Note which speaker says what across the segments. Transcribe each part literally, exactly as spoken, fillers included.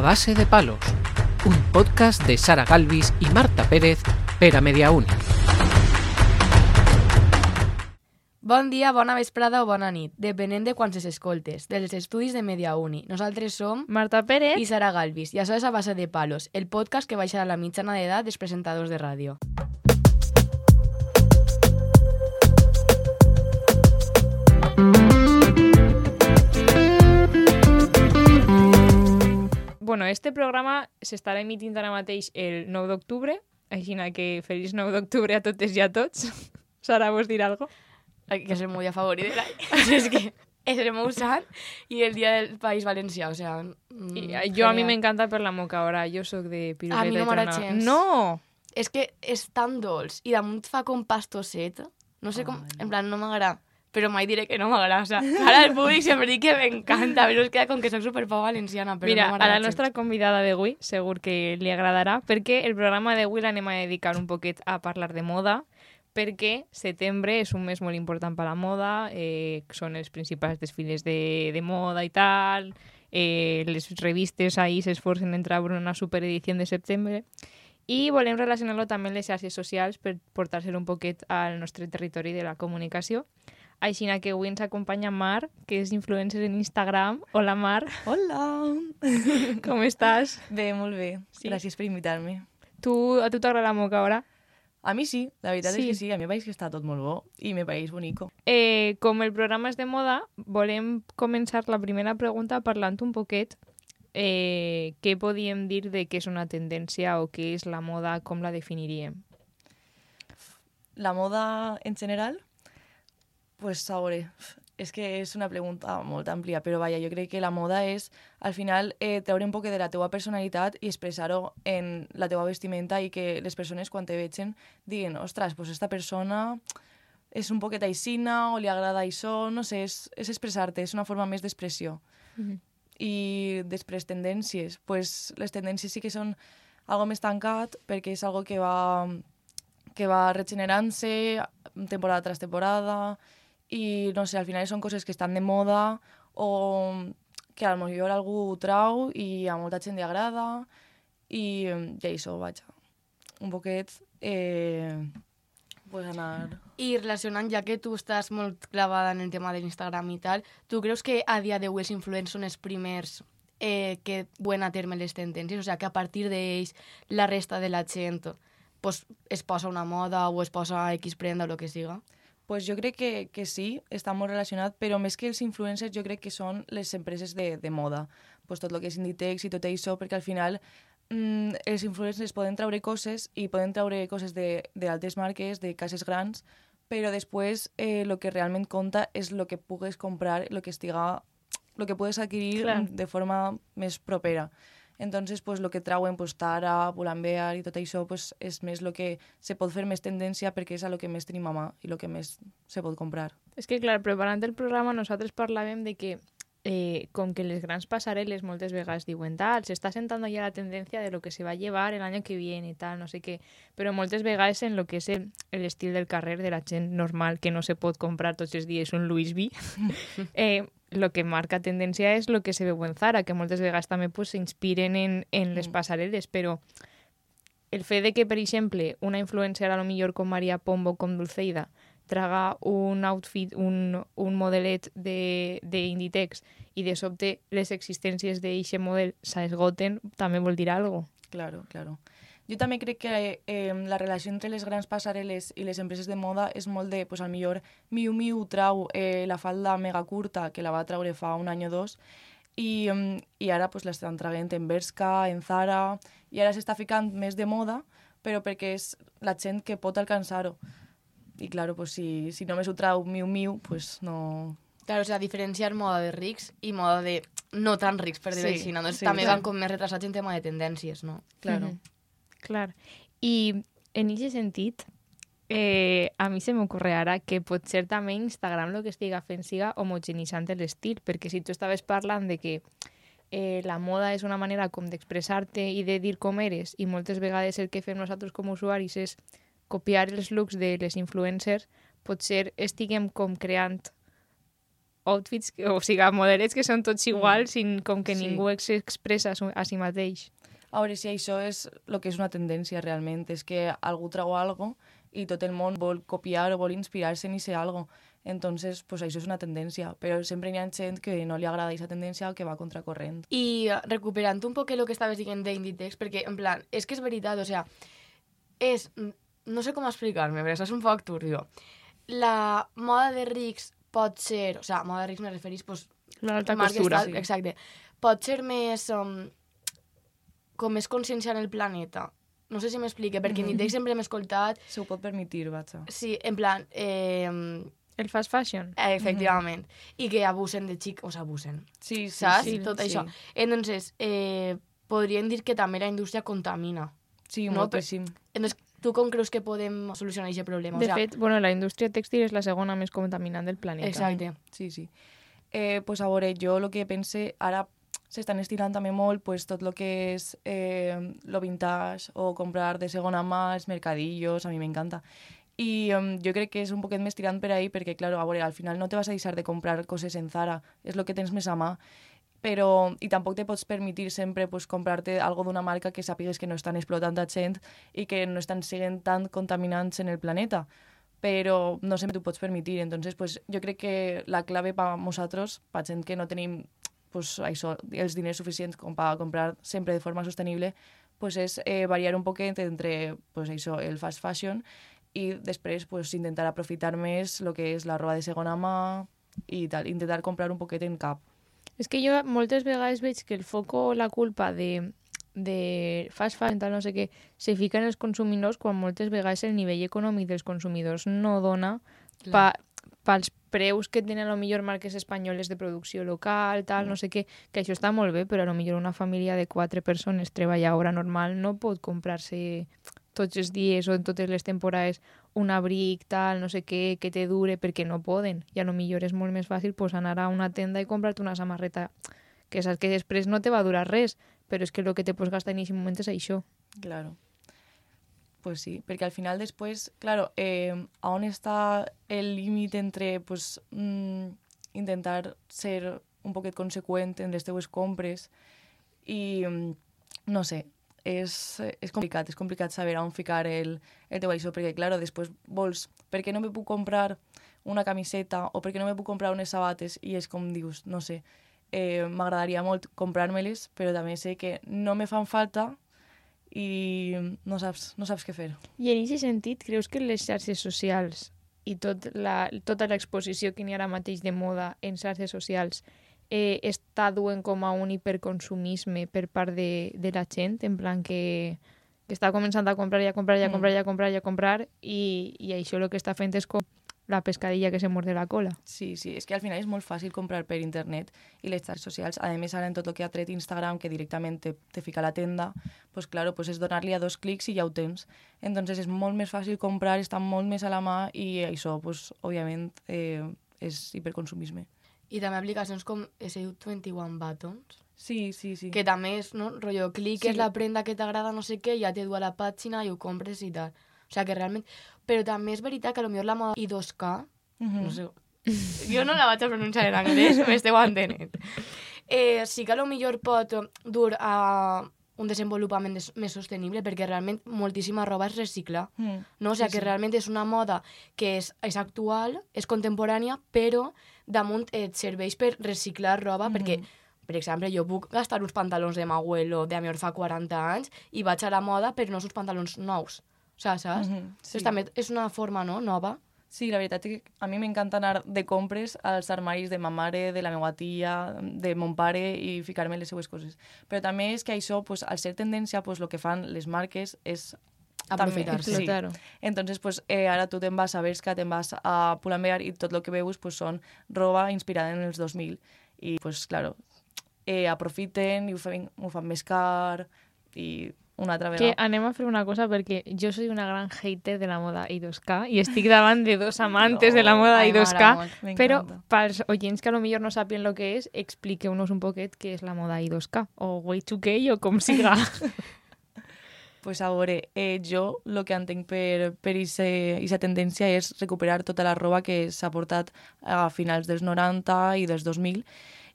Speaker 1: base de palos, un podcast de Sara Galvis i Marta Pérez per a Mediauni.
Speaker 2: Bon dia, bona vesprada o bona nit, depenent de quan s'escoltes, dels estudis de Mediauni. Nosaltres som
Speaker 3: Marta Pérez
Speaker 2: i Sara Galvis, i això és A Base de Palos, el podcast que baixa a la mitjana d'edat dels presentadors de ràdio.
Speaker 3: Bueno, este programa s'estarà emitint ara mateix el nou d'octubre, així que feliç nou d'octubre a totes i a tots. Sara, vols dir alguna cosa?
Speaker 2: Que és el meu dia favorit de l'any. És que és el meu sant i el dia del País Valencià, o sea...
Speaker 3: Mm, I, jo a mi m'encanta per la moca, ara, jo sóc de piruleta.
Speaker 2: A mi no m'agrada gens.
Speaker 3: No!
Speaker 2: És que és tan dolç i damunt fa com pastosset. No sé com... En plan, no m'agrada. Però mai diré que no m'agrada. O sea, ara el públic sempre dic que m'encanta, però es queda com que soc superpau valenciana, però
Speaker 3: Mira,
Speaker 2: no
Speaker 3: a la nostra convidada d'avui segur que li agradarà, perquè el programa d'avui l'anem a dedicar un poquet a parlar de moda, perquè setembre és un mes molt important per a la moda, eh, són els principals desfiles de, de moda i tal, eh, les revistes ahí s'esforcen en treure una superedició de setembre, i volem relacionar-lo també amb les xarxes socials per portar-se-lo un poquet al nostre territori de la comunicació. Així que avui ens acompanya Mar, que és influencer en Instagram. Hola, Mar.
Speaker 4: Hola!
Speaker 3: Com estàs?
Speaker 4: Bé, molt bé. Sí? Gràcies per invitar-me.
Speaker 3: Tu, a tu t'agrada la moca, ara?
Speaker 4: A mi sí, la veritat
Speaker 3: sí.
Speaker 4: és que sí. A mi me pareix que està tot molt bo i me pareix bonico.
Speaker 3: Eh, com el programa és de moda, volem començar la primera pregunta parlant un poquet eh, què podíem dir de què és una tendència o què és la moda, com la definiríem?
Speaker 4: La moda en general? Pues a veure, és que és una pregunta molt àmplia, però vaja, jo crec que la moda és, al final, eh, treure un poc de la teua personalitat i expressar-ho en la teua vestimenta i que les persones, quan te vegen, diguin, ostres, pues esta persona és un poquet aixina o li agrada això, no sé, és, és expressar-te, és una forma més d'expressió. Mm-hmm. I després, tendències, pues les tendències sí que són algo més tancat, perquè és algo que va, que va regenerant-se temporada tras temporada, i no sé, al final són coses que estan de moda o que a lo millor algú ho trau i a molta gent li agrada i, i això, vaja, un poquet eh, pues anar...
Speaker 2: I relacionant, ja que tu estàs molt clavada en el tema de l'Instagram i tal, tu creus que a dia d'avui els influents són els primers eh, que duen a terme les tendències? O sigui, que a partir d'ells la resta de la gent pues, es posa una moda o es posa X prenda o el que siga?
Speaker 4: Pues jo crec que, que sí, està molt relacionat, però més que els influencers jo crec que són les empreses de, de moda. Pues tot el que és Inditex i tot això, perquè al final mmm, els influencers poden treure coses i poden treure coses d'altres marques, de cases grans, però després eh, el que realment compta és el que pugues comprar, el que estiga, el que pugues adquirir Clar. de forma més propera. Entonces, pues, lo que trauen, pues, Zara, Pull&Bear i tot això, pues, és més el que se pot fer més tendència perquè és a lo que més tenim a mà i el que més se pot comprar.
Speaker 3: És que, clar, preparant el programa nosaltres parlàvem de que eh, com que les grans passarel·les moltes vegades diuen tal, s'està sentant ja la tendència de lo que se va llevar el any que viene i tal, no sé què, però moltes vegades en lo que és l'estil del carrer de la gent normal que no se pot comprar tots els dies un Louis V, eh, lo que marca tendència és lo que se veu en Zara, que moltes vegades també pues, s'inspiren en, en les passarel·les, però el fet de que, per exemple, una influencer a lo millor com Maria Pombo o com Dulceida traga un outfit, un, un modelet d'Inditex i de sobte les existències d'eixe model s'esgoten, també vol dir alguna cosa.
Speaker 4: Claro, claro. Jo també crec que eh, la relació entre les grans passarel·les i les empreses de moda és molt de, pues, al millor Miu Miu trau eh, la falda mega curta que la va traure fa un any o dos i, i ara pues, l'estan traient en Bershka, en Zara, i ara s'està ficant més de moda, però perquè és la gent que pot alcançar-ho. I claro, pues, si, si només ho trau Miu Miu, pues no...
Speaker 2: Claro, o sea, diferenciar moda de rics i moda de no tan rics, per dir-ho així. Doncs sí, també sí. Van com més retrasats en tema de tendències, no?
Speaker 4: Claro.
Speaker 3: Mm-hmm. Clar. I en aquest sentit, eh, a mi se m'ocorre ara que potser també Instagram el que estiga fent siga homogenitzant l'estil, perquè si tu estaves parlant de que eh, la moda és una manera com d'expressar-te i de dir com eres, i moltes vegades el que fem nosaltres com a usuaris és copiar els looks de les influencers, potser estiguem com creant outfits, o sigui, modelets que són tots iguals, sin, com que
Speaker 4: Sí.
Speaker 3: ningú s'expressa a si mateix.
Speaker 4: A veure si això és el que és una tendència realment, és que algú trau algo i tot el món vol copiar o vol inspirar-se en ser algo. Entonces, pues això és una tendència, però sempre hi ha gent que no li agrada aquesta tendència o que va contracorrent.
Speaker 2: I uh, recuperant un poc el que estaves dient d'Inditex, perquè, en plan, és que és veritat, o sea, és... No sé com explicar-me, però això és un poc turbio. La moda de rics pot ser... O sea, moda de rics me referís, pues...
Speaker 3: L'alta
Speaker 2: marques
Speaker 3: costura.
Speaker 2: tal, exacte. Pot ser més... Um, com més consciència en el planeta. No sé si m'explique, perquè en Inditex sempre hem escoltat...
Speaker 4: Se ho pot permetir, vaja.
Speaker 2: Sí, en plan... Eh,
Speaker 3: El fast fashion.
Speaker 2: efectivament. I que abusen de xic... O s'abusen.
Speaker 4: Sí, sí,
Speaker 2: Saps?
Speaker 4: sí.
Speaker 2: Tot
Speaker 4: sí.
Speaker 2: això. Entonces, eh, podríem dir que també la indústria contamina.
Speaker 4: Sí,
Speaker 2: No,
Speaker 4: moltíssim.
Speaker 2: Entonces, tu com creus que podem solucionar aquest problema?
Speaker 3: De
Speaker 2: o sea,
Speaker 3: fet, bueno, la indústria tèxtil és la segona més contaminant del planeta.
Speaker 2: exacte.
Speaker 4: Sí, sí. Eh, pues a veure, jo el que pense, ara s'estan estirant també molt pues, tot el que és eh, lo vintage o comprar de segona mà, els mercadillos, a mi m'encanta. I um, jo crec que és un poquet més tirant per ahí perquè, claro, a veure, al final no te vas a deixar de comprar coses en Zara, és el que tens més a mà, però, i tampoc te pots permetir sempre pues, comprar-te algo d'una marca que sàpigues que no estan explotant a gent i que no estan sent tan contaminants en el planeta, però no sempre t'ho pots permetir. Entonces, pues, jo crec que la clave per nosaltres, per gent que no tenim pues, això, els diners suficients com per comprar sempre de forma sostenible, pues, és eh, variar un poquet entre pues, això, el fast fashion i després pues, intentar aprofitar més el que és la roba de segona mà i tal, intentar comprar un poquet en cap.
Speaker 3: És que jo moltes vegades veig que el foco o la culpa de, de fast fashion, tal, no sé què, se fica en els consumidors quan moltes vegades el nivell econòmic dels consumidors no dona pa, pels preus que tenen a lo millor marques espanyoles de producció local, tal, no sé què, que això està molt bé, però a lo millor una família de quatre persones treballadora normal no pot comprar-se tots els dies o en totes les temporades un abric, tal, no sé què, que te dure, perquè no poden. I a lo millor és molt més fàcil pues, anar a una tenda i comprar-te una samarreta que saps que després no te va durar res, però és que el que te pots gastar en aquest moment és això.
Speaker 4: Claro. Pues sí, perquè al final després, claro, eh, a on està el límit entre pues, mm, intentar ser un poquet conseqüent en les teues compres i, mm, no sé, és, és complicat, és complicat saber on ficar el, el teu això, perquè, claro, després vols, per què no me puc comprar una camiseta o per què no me puc comprar unes sabates? I és com dius, no sé, eh, m'agradaria molt comprar-me-les, però també sé que no me fan falta i no saps, no saps què fer.
Speaker 3: I en aquest sentit, creus que les xarxes socials i tot la, tota l'exposició que n'hi ha ara mateix de moda en xarxes socials eh, està duent com a un hiperconsumisme per part de, de la gent, en plan que, que està començant a comprar i a comprar i a comprar i a comprar i a comprar i, i això el que està fent és com la pescadilla que se morde la cola.
Speaker 4: Sí, sí, és que al final és molt fàcil comprar per internet i les xarxes socials, a més ara en tot el que ha tret Instagram, que directament te, te fica a la tenda, pues claro, pues és donar-li a dos clics i ja ho tens. Entonces és molt més fàcil comprar, està molt més a la mà i això, pues, òbviament, eh, és hiperconsumisme.
Speaker 2: I també aplicacions com S U vint-i-un Buttons,
Speaker 4: Sí, sí, sí.
Speaker 2: que també és, no? Rollo, cliques
Speaker 4: Sí.
Speaker 2: la prenda que t'agrada, no sé què, ja te du a la pàgina i ho compres i tal. O sigui que realment... Però també és veritat que potser la moda I dos K,
Speaker 4: Mhm.
Speaker 2: no sé, jo no la vaig a pronunciar en anglès, m'esteu entenent. Eh, sí que potser pot dur a un desenvolupament des- més sostenible perquè realment moltíssima roba es recicla.
Speaker 4: Mm.
Speaker 2: No? O sigui
Speaker 4: Sí,
Speaker 2: que
Speaker 4: sí.
Speaker 2: realment és una moda que és, és actual, és contemporània, però damunt et serveix per reciclar roba,
Speaker 4: Mhm.
Speaker 2: perquè, per exemple, jo puc gastar uns pantalons de m'abuelo de a mi fa quaranta anys i vaig a la moda per no uns pantalons nous. O sigui, saps?
Speaker 4: Mhm, sí.
Speaker 2: Entonces, també és una forma, no?, nova.
Speaker 4: Sí, la veritat és que a mi m'encanta anar de compres als armaris de ma mare, de la meva tia, de mon pare i ficar-me les seues coses. Però també és que això, pues, al ser tendència, pues, el que fan les marques és
Speaker 2: Aprofitar-se.
Speaker 4: també-
Speaker 3: Explotar-ho.
Speaker 4: Entonces, pues, eh, ara tu te'n vas a Bershka, te'n vas a Pull&Bear i tot el que veus pues, són roba inspirada en els dos mil. I, pues, claro, eh, aprofiten i ho fan, ho fan més car i una altra
Speaker 3: Que
Speaker 4: vegada.
Speaker 3: anem a fer una cosa perquè jo soy una gran hater de la moda I dos K i estic davant de dos amantes de la moda
Speaker 2: Ai,
Speaker 3: I dos
Speaker 2: m'agrada
Speaker 3: K,
Speaker 2: molt.
Speaker 3: però
Speaker 4: M'encanta.
Speaker 3: pels oients que a lo millor no sàpien lo que és, expliqueu-nos un poquet què és la moda I dos K, o Y dos K, o com siga.
Speaker 4: Pues a veure, eh, jo el que entenc per aquesta tendència és recuperar tota la roba que s'ha portat a finals dels noranta i dels dos mil.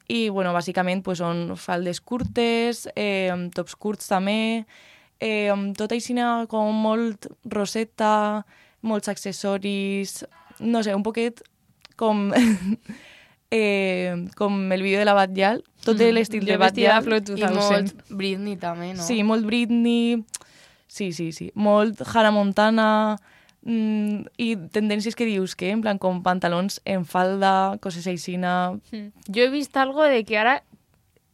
Speaker 4: I, bueno, bàsicament pues, són faldes curtes, eh, tops curts també, eh, tot així com molt roseta, molts accessoris, no sé, un poquet com... Eh, com el vídeo de la Batllal, tot mm. l'estil de Batllal.
Speaker 2: I molt Britney també, no?
Speaker 4: Sí, molt Britney, sí, sí, sí, molt Hannah Montana, mm, i tendències que dius que, en plan, com pantalons en falda, coses aixina...
Speaker 3: Mm. Jo he vist algo de que ara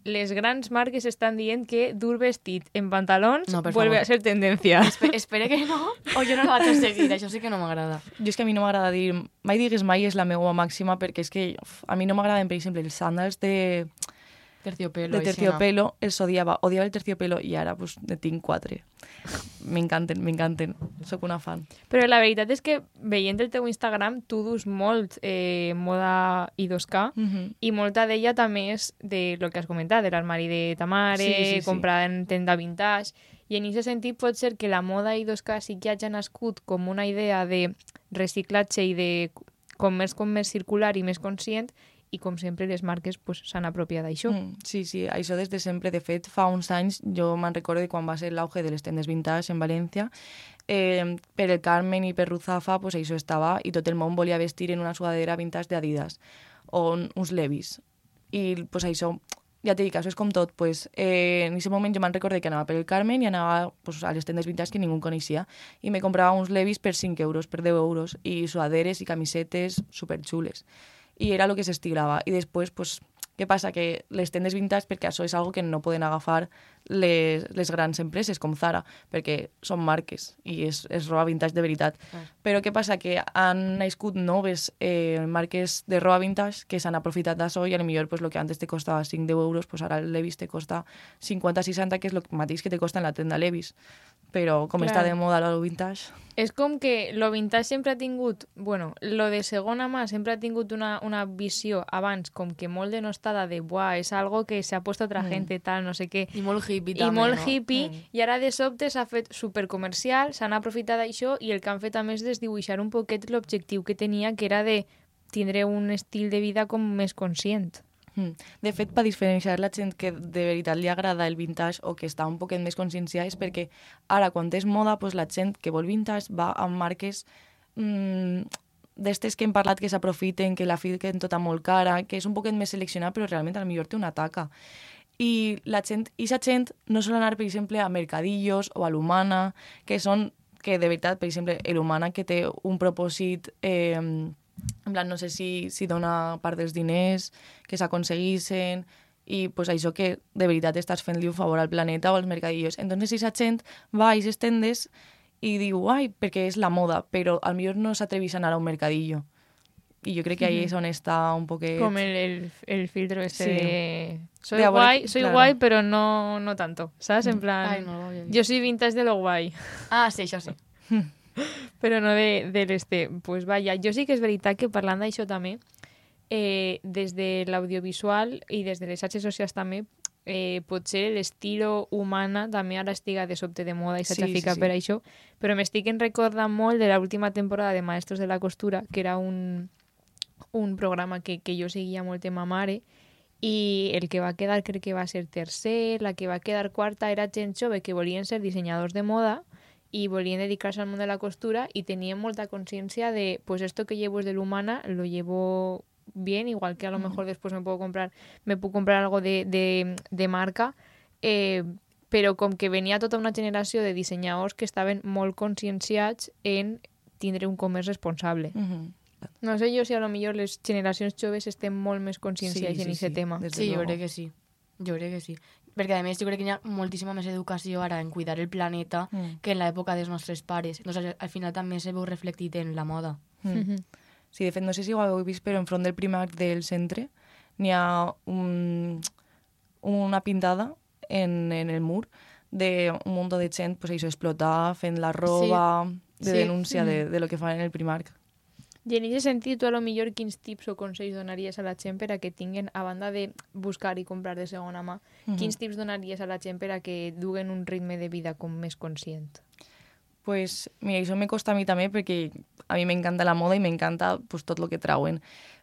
Speaker 3: les grans marques estan dient que dur vestit en pantalons
Speaker 2: no,
Speaker 3: vuelve
Speaker 2: favor.
Speaker 3: a ser tendencia.
Speaker 2: Espe espere que no, o jo no la vaig a seguir, això sí que no m'agrada.
Speaker 4: Jo és que a mi no m'agrada dir... Mai digues mai és la meva màxima, perquè és que uf, a mi no m'agraden, per exemple, els sandals de...
Speaker 2: Terciopelo.
Speaker 4: De terciopelo, els odiava. Odiava el terciopelo i ara pues, ne tinc quatre. M'encanten, m'encanten. Soc una fan.
Speaker 3: Però la veritat és que veient el teu Instagram tu dus molt eh, moda I dos K
Speaker 4: Mm-hmm.
Speaker 3: i molta d'ella també és de lo que has comentat, de l'armari de ta mare,
Speaker 4: Sí, sí, sí.
Speaker 3: comprada en tenda vintage. I en aquest sentit pot ser que la moda I dos K sí que hagi nascut com una idea de reciclatge i de comerç com més circular i més conscient, i com sempre les marques pues, s'han apropiat d'això.
Speaker 4: Mm, sí, sí, això des de sempre. De fet, fa uns anys, jo me'n recordo de quan va ser l'auge de les tendes vintage en València, eh, per el Carmen i per Ruzafa, pues, això estava, i tot el món volia vestir en una sudadera vintage d'Adidas, o uns Levis. I pues, això, ja t'he dit, això és com tot. Pues, eh, en aquest moment jo me'n recordo que anava per el Carmen i anava pues, a les tendes vintage que ningú coneixia, i me comprava uns Levis per cinc euros, per deu euros, i sudaderes i camisetes superxules. I era el que s'estilava. I després, pues, què passa? Que les tendes vintage, perquè això és algo que no poden agafar les, les grans empreses com Zara, perquè són marques i és, és roba vintage de veritat.
Speaker 2: Ah.
Speaker 4: Però què passa? Que han nascut noves eh, marques de roba vintage que s'han aprofitat d'això i a lo millor pues, el que antes te costava cinc a deu euros, pues, ara el Levi's te costa cinquanta a seixanta, que és el mateix que te costa en la tenda Levi's. Però com
Speaker 3: Clar.
Speaker 4: està de moda lo vintage...
Speaker 3: És com que lo vintage sempre ha tingut, bueno, lo de segona mà sempre ha tingut una, una visió abans com que molt denostada de, buah, és algo que s'ha puesto otra
Speaker 4: Mm.
Speaker 3: gente, tal, no sé què.
Speaker 2: I molt hippie
Speaker 3: I
Speaker 2: també,
Speaker 3: molt
Speaker 2: no?
Speaker 3: hippie,
Speaker 2: Mm.
Speaker 3: i ara de sobte s'ha fet supercomercial, s'han aprofitat d'això i el que han fet a més és desdibuixar un poquet l'objectiu que tenia, que era de tindre un estil de vida com més conscient.
Speaker 4: Mm. De fet, per diferenciar la gent que de veritat li agrada el vintage o que està un poquet més conscienciada és perquè ara, quan és moda, pues, la gent que vol vintage va amb marques mmm, d'estes que hem parlat que s'aprofiten, que la fiquen tota molt cara, que és un poquet més seleccionat, però realment a lo millor té una taca. I la gent, i sa gent no sol anar, per exemple, a Mercadillos o a l'Humana, que són, que de veritat, per exemple, l'Humana que té un propòsit... Eh, en plan, no sé si, si dona part dels diners que s'aconseguissin i pues, això que de veritat estàs fent-li un favor al planeta o als mercadillos. Entonces, si la gent va a aquestes tendes i diu, ai, perquè és la moda, però al millor no s'atrevís a anar a un mercadillo. I jo crec que ahí és on està un poquet...
Speaker 3: Com el, el, el filtro este
Speaker 4: Sí.
Speaker 3: de... Soy
Speaker 4: De a veure,
Speaker 3: guay, soy
Speaker 4: claro.
Speaker 3: guay, pero no, no tanto, ¿sabes? En plan,
Speaker 2: Ai, no lo había visto.
Speaker 3: yo soy vintage de lo guay.
Speaker 2: Ah, sí, això sí.
Speaker 3: Però no de, de l'este. Pues vaja, jo sí que és veritat que parlant d'això també, eh, des de l'audiovisual i des de les xarxes socials també, eh, potser l'estilo humana també ara estiga de sobte de moda i s'ha
Speaker 4: Sí,
Speaker 3: sí, ficat
Speaker 4: sí, sí.
Speaker 3: per això, però m'estic en recordant molt de l'última temporada de Maestros de la Costura, que era un, un programa que, que jo seguia molt amb ma mare, i el que va quedar crec que va ser tercer, la que va quedar quarta era gent jove que volien ser dissenyadors de moda y volvían dedicarse al mundo de la costura y tenían mucha conciencia de, pues esto que llevo es de la humana, lo llevo bien, igual que a lo mejor después me puedo comprar me puedo comprar algo de, de, de marca, eh, però com que venia tota una generació de dissenyadors que estaven molt conscienciats en tindre un comerç responsable.
Speaker 4: Mm-hmm.
Speaker 3: No sé jo si a lo millor les generacions joves estem molt més conscienciats
Speaker 4: Sí, sí,
Speaker 3: en aquest
Speaker 4: sí,
Speaker 3: tema.
Speaker 4: des de
Speaker 2: Sí, jo
Speaker 4: luego.
Speaker 2: crec que sí. Jo crec que sí. Perquè, a més, jo crec que hi ha moltíssima més educació ara en cuidar el planeta
Speaker 4: Mm.
Speaker 2: que en l'època dels nostres pares. Entonces, al final també se veu reflectit en la moda.
Speaker 4: Mm.
Speaker 3: Mhm.
Speaker 4: Sí, de fet, no sé si ho heu vist, però enfront del Primark del centre n'hi ha un, una pintada en, en el mur d'un munt de gent pues, això, explotar, fent la roba, sí. de
Speaker 2: Sí.
Speaker 4: denúncia de, de lo que fan en el Primark.
Speaker 3: I en aquest sentit, tu a lo millor quins tips o consells donaries a la gent per a que tinguen, a banda de buscar i comprar de segona mà,
Speaker 4: Mhm.
Speaker 3: quins tips donaries a la gent per a que duguen un ritme de vida com més conscient?
Speaker 4: Pues mira, això me costa a mi també perquè a mi m'encanta la moda i m'encanta pues, tot el que trauen.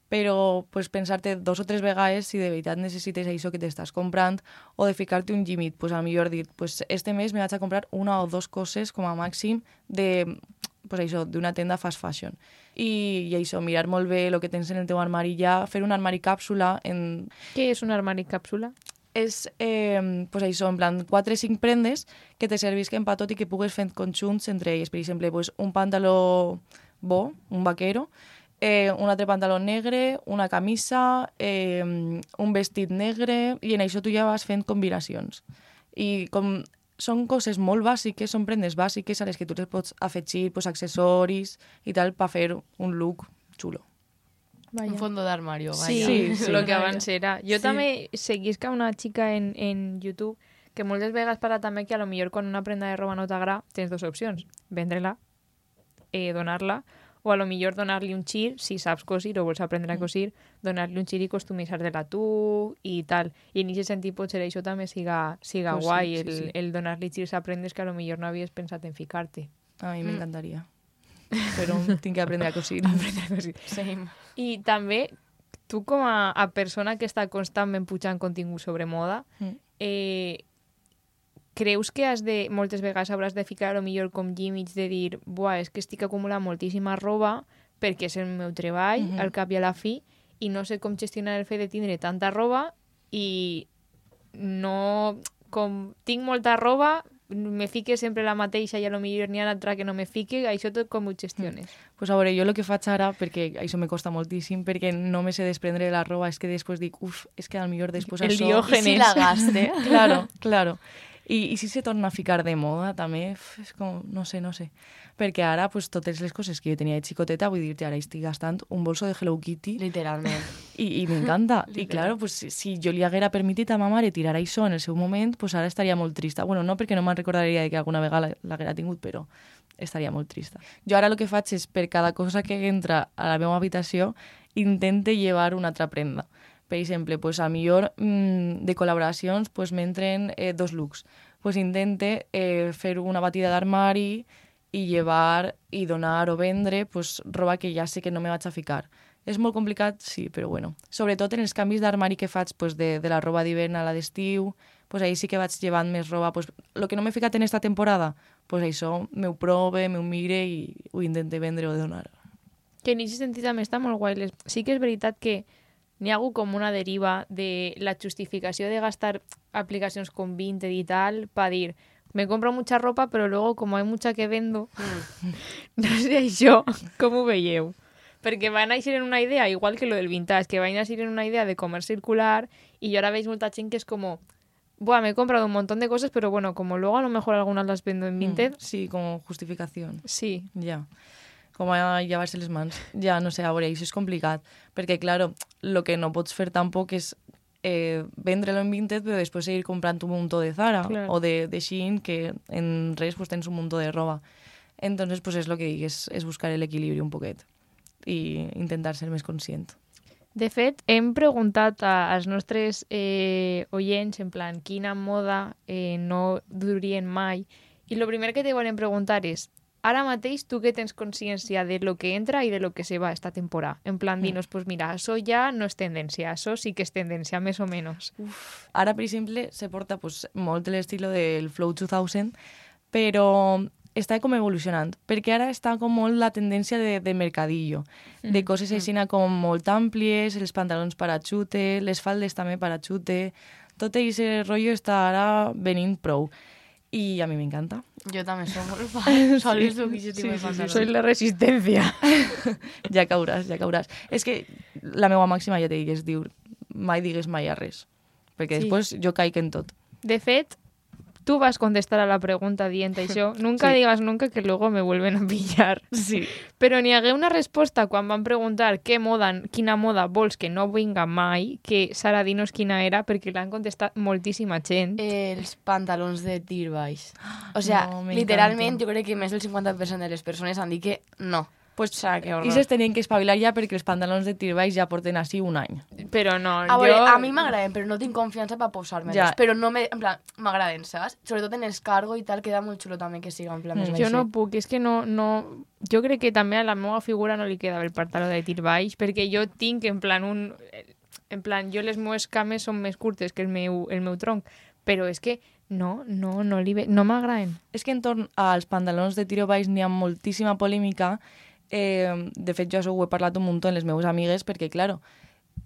Speaker 4: Però pues, pensar-te dos o tres vegades si de veritat necessites això que t'estàs comprant o de ficar-te un límit. Pues, a millor dir, pues, este mes me vaig a comprar una o dos coses com a màxim de pues, això, d'una tenda fast fashion. I, i això, mirar molt bé el que tens en el teu armari ja, fer un armari càpsula en...
Speaker 3: Què és un armari càpsula?
Speaker 4: És, eh, pues això, en plan, quatre o cinc prendes que te servisquen per tot i que pugues fer conjunts entre elles. Per exemple, pues, un pantaló bo, un vaquero, eh, un altre pantaló negre, una camisa, eh, un vestit negre, i en això tu ja vas fent combinacions. I com són coses molt bàsiques, són prendes bàsiques a les que tu les pots afegir pues, accessoris i tal per fer un look xulo.
Speaker 2: Vaya. Un fondo d'armario, vaya.
Speaker 3: Sí,
Speaker 4: Sí, sí.
Speaker 3: lo que abans era. Jo
Speaker 4: Sí.
Speaker 3: també seguisca una xica en, en YouTube que moltes vegades parla també que a lo millor quan una prenda de roba no t'agrada tens dues opcions, vendre-la, eh, donar-la, o a lo millor donar-li un xir, si saps cosir o vols aprendre a cosir, donar-li un xir i customitzar-te-la tu i tal. I en aquest sentit potser això també siga, siga
Speaker 4: Pues sí,
Speaker 3: guai,
Speaker 4: sí,
Speaker 3: el,
Speaker 4: sí.
Speaker 3: el donar-li xirs a prendes que a lo millor no havies pensat en ficar-te.
Speaker 4: A mi
Speaker 2: Mm.
Speaker 4: m'encantaria. Però tinc que aprendre a cosir.
Speaker 2: Same.
Speaker 3: I també, tu com a, a persona que està constantment pujant contingut sobre moda,
Speaker 4: Mm.
Speaker 3: eh, creus que has de, moltes vegades hauràs de ficar a lo millor com límits de dir, buah, és que estic acumulant moltíssima roba perquè és el meu treball,
Speaker 4: Mhm.
Speaker 3: al cap i a la fi, i no sé com gestionar el fet de tindre tanta roba i no... Com tinc molta roba, me fique sempre la mateixa i a lo millor n'hi ha altra que no me fique, això tot com ho gestiones?
Speaker 4: Pues a veure, jo el que faig ara, perquè això me costa moltíssim, perquè no me sé desprendre de la roba, és que després dic, uf, és que al millor després
Speaker 3: El
Speaker 4: això...
Speaker 3: Diògenes.
Speaker 2: I si la gaste?
Speaker 4: Claro, claro. I, I si se torna a ficar de moda, també, uf, és com, no sé, no sé. Perquè ara, pues, totes les coses que jo tenia de xicoteta, vull dir-te, ara estic gastant un bolso de Hello Kitty
Speaker 2: Literalment.
Speaker 4: i, i m'encanta. I, claro, pues, si, si jo li haguera permitit a ma mare tirar això en el seu moment, pues ara estaria molt trista. Bueno, no perquè no me'n recordaria de que alguna vegada l'haguera tingut, però estaria molt trista. Jo ara el que faig és, per cada cosa que entra a la meva habitació, intente llevar una altra prenda. Per exemple, pues, a millor mmm, de col·laboracions pues, m'entren eh, dos looks. Pues, intente eh, fer una batida d'armari i llevar i donar o vendre pues, roba que ja sé que no me vaig a ficar. És molt complicat, sí, però bueno. Sobretot en els canvis d'armari que faig pues, de, de la roba d'hivern a la d'estiu, pues, ahí sí que vaig llevant més roba. Pues, lo que no m'he ficat en esta temporada, pues, això m'ho prove, m'ho mire i ho intente vendre o donar.
Speaker 3: Que en aquest sentit també està molt guai. Les- Sí que és veritat que n'hi ha hagut com una deriva de la justificació de gastar aplicacions com Vinted y tal para dir, me compro mucha ropa, pero luego como hay mucha que vendo, no sé això com ho veieu. Perquè van a ir en una idea, igual que lo del vintage, que van a ir en una idea de comer circular y yo ahora veis molta gent que es como, buah, me he comprado un montón de cosas, pero bueno, como luego a lo mejor algunas las vendo en Vinted,
Speaker 4: Mm, sí, com justificació.
Speaker 3: sí.
Speaker 4: Ja. Com a llevar-se les mans. Ja, no sé, a veure, això és complicat. Perquè, claro, el que no pots fer tampoc és eh, vendre-lo en Vinted, però després seguir comprant un muntó de Zara
Speaker 3: Claro.
Speaker 4: o de, de Shein, que en res pues, tens un muntó de roba. Entonces, pues, és el que dic, és, és buscar l'equilibri un poquet i intentar ser més conscient.
Speaker 3: De fet, hem preguntat a, als nostres eh, oients, en plan, quina moda eh, no durien mai, i el primer que te volen preguntar és, ara mateix tu que tens consciència de lo que entra i de lo que se va esta temporada. En plan, dinos, pues mira, això ja no és tendència, això sí que és tendència, més o menys.
Speaker 4: Ara, per exemple, se porta pues, molt l'estil del Flow dos mil, però està com evolucionant, perquè ara està com molt la tendència de, de mercadillo, de coses així com molt àmplies, els pantalons parachute, les faldes també parachute, tot aquest rotllo està ara venint prou. I a mi m'encanta.
Speaker 2: Jo també soc molt fan. Sols duc aquest tipus de pantalons.
Speaker 3: Soy la resistencia.
Speaker 4: Ja cauràs, ja cauràs. És que la meva màxima, ja te dic, es diu mai digues mai a res, perquè
Speaker 3: Sí.
Speaker 4: després jo caic en tot.
Speaker 3: De fet, tú vas a contestar a la pregunta dient això. Nunca
Speaker 4: Sí.
Speaker 3: digas nunca que luego me vuelven a pillar.
Speaker 4: Sí.
Speaker 3: Però n'hi hagué una resposta quan van preguntar què moda, quina moda vols que no vinga mai, que Sara, dinos quina era, perquè l'han contestat moltíssima gent.
Speaker 2: Els pantalons de tir baix. O sea,
Speaker 4: No, m'encanten.
Speaker 2: literalment, jo crec que més del cinquanta per cent de les persones han dit que no.
Speaker 4: pues,
Speaker 2: O sea, que horror.
Speaker 4: i se tenien que espavilar ja perquè els pantalons de tir baix ja porten així un any.
Speaker 3: Però no,
Speaker 2: A veure,
Speaker 3: jo...
Speaker 2: a mi m'agraden, però no tinc confiança per posar-me-los.
Speaker 4: Ja.
Speaker 2: Però no me... En plan, m'agraden, saps? Sobretot en els cargo i tal, queda molt xulo també que siga en plan més
Speaker 4: Mm.
Speaker 3: Jo
Speaker 2: baixet.
Speaker 3: no puc, és que no, no... Jo crec que també a la meva figura no li quedava el pantaló de tir baix, perquè jo tinc en plan un... En plan, jo les meves cames són més curtes que el meu, el meu tronc, però és que no, no, no, li ve... no m'agraden.
Speaker 4: És que entorn als pantalons de tiro baix n'hi ha moltíssima polèmica. Eh, de fet, jo això ho he parlat un munt amb les meves amigues, perquè, claro,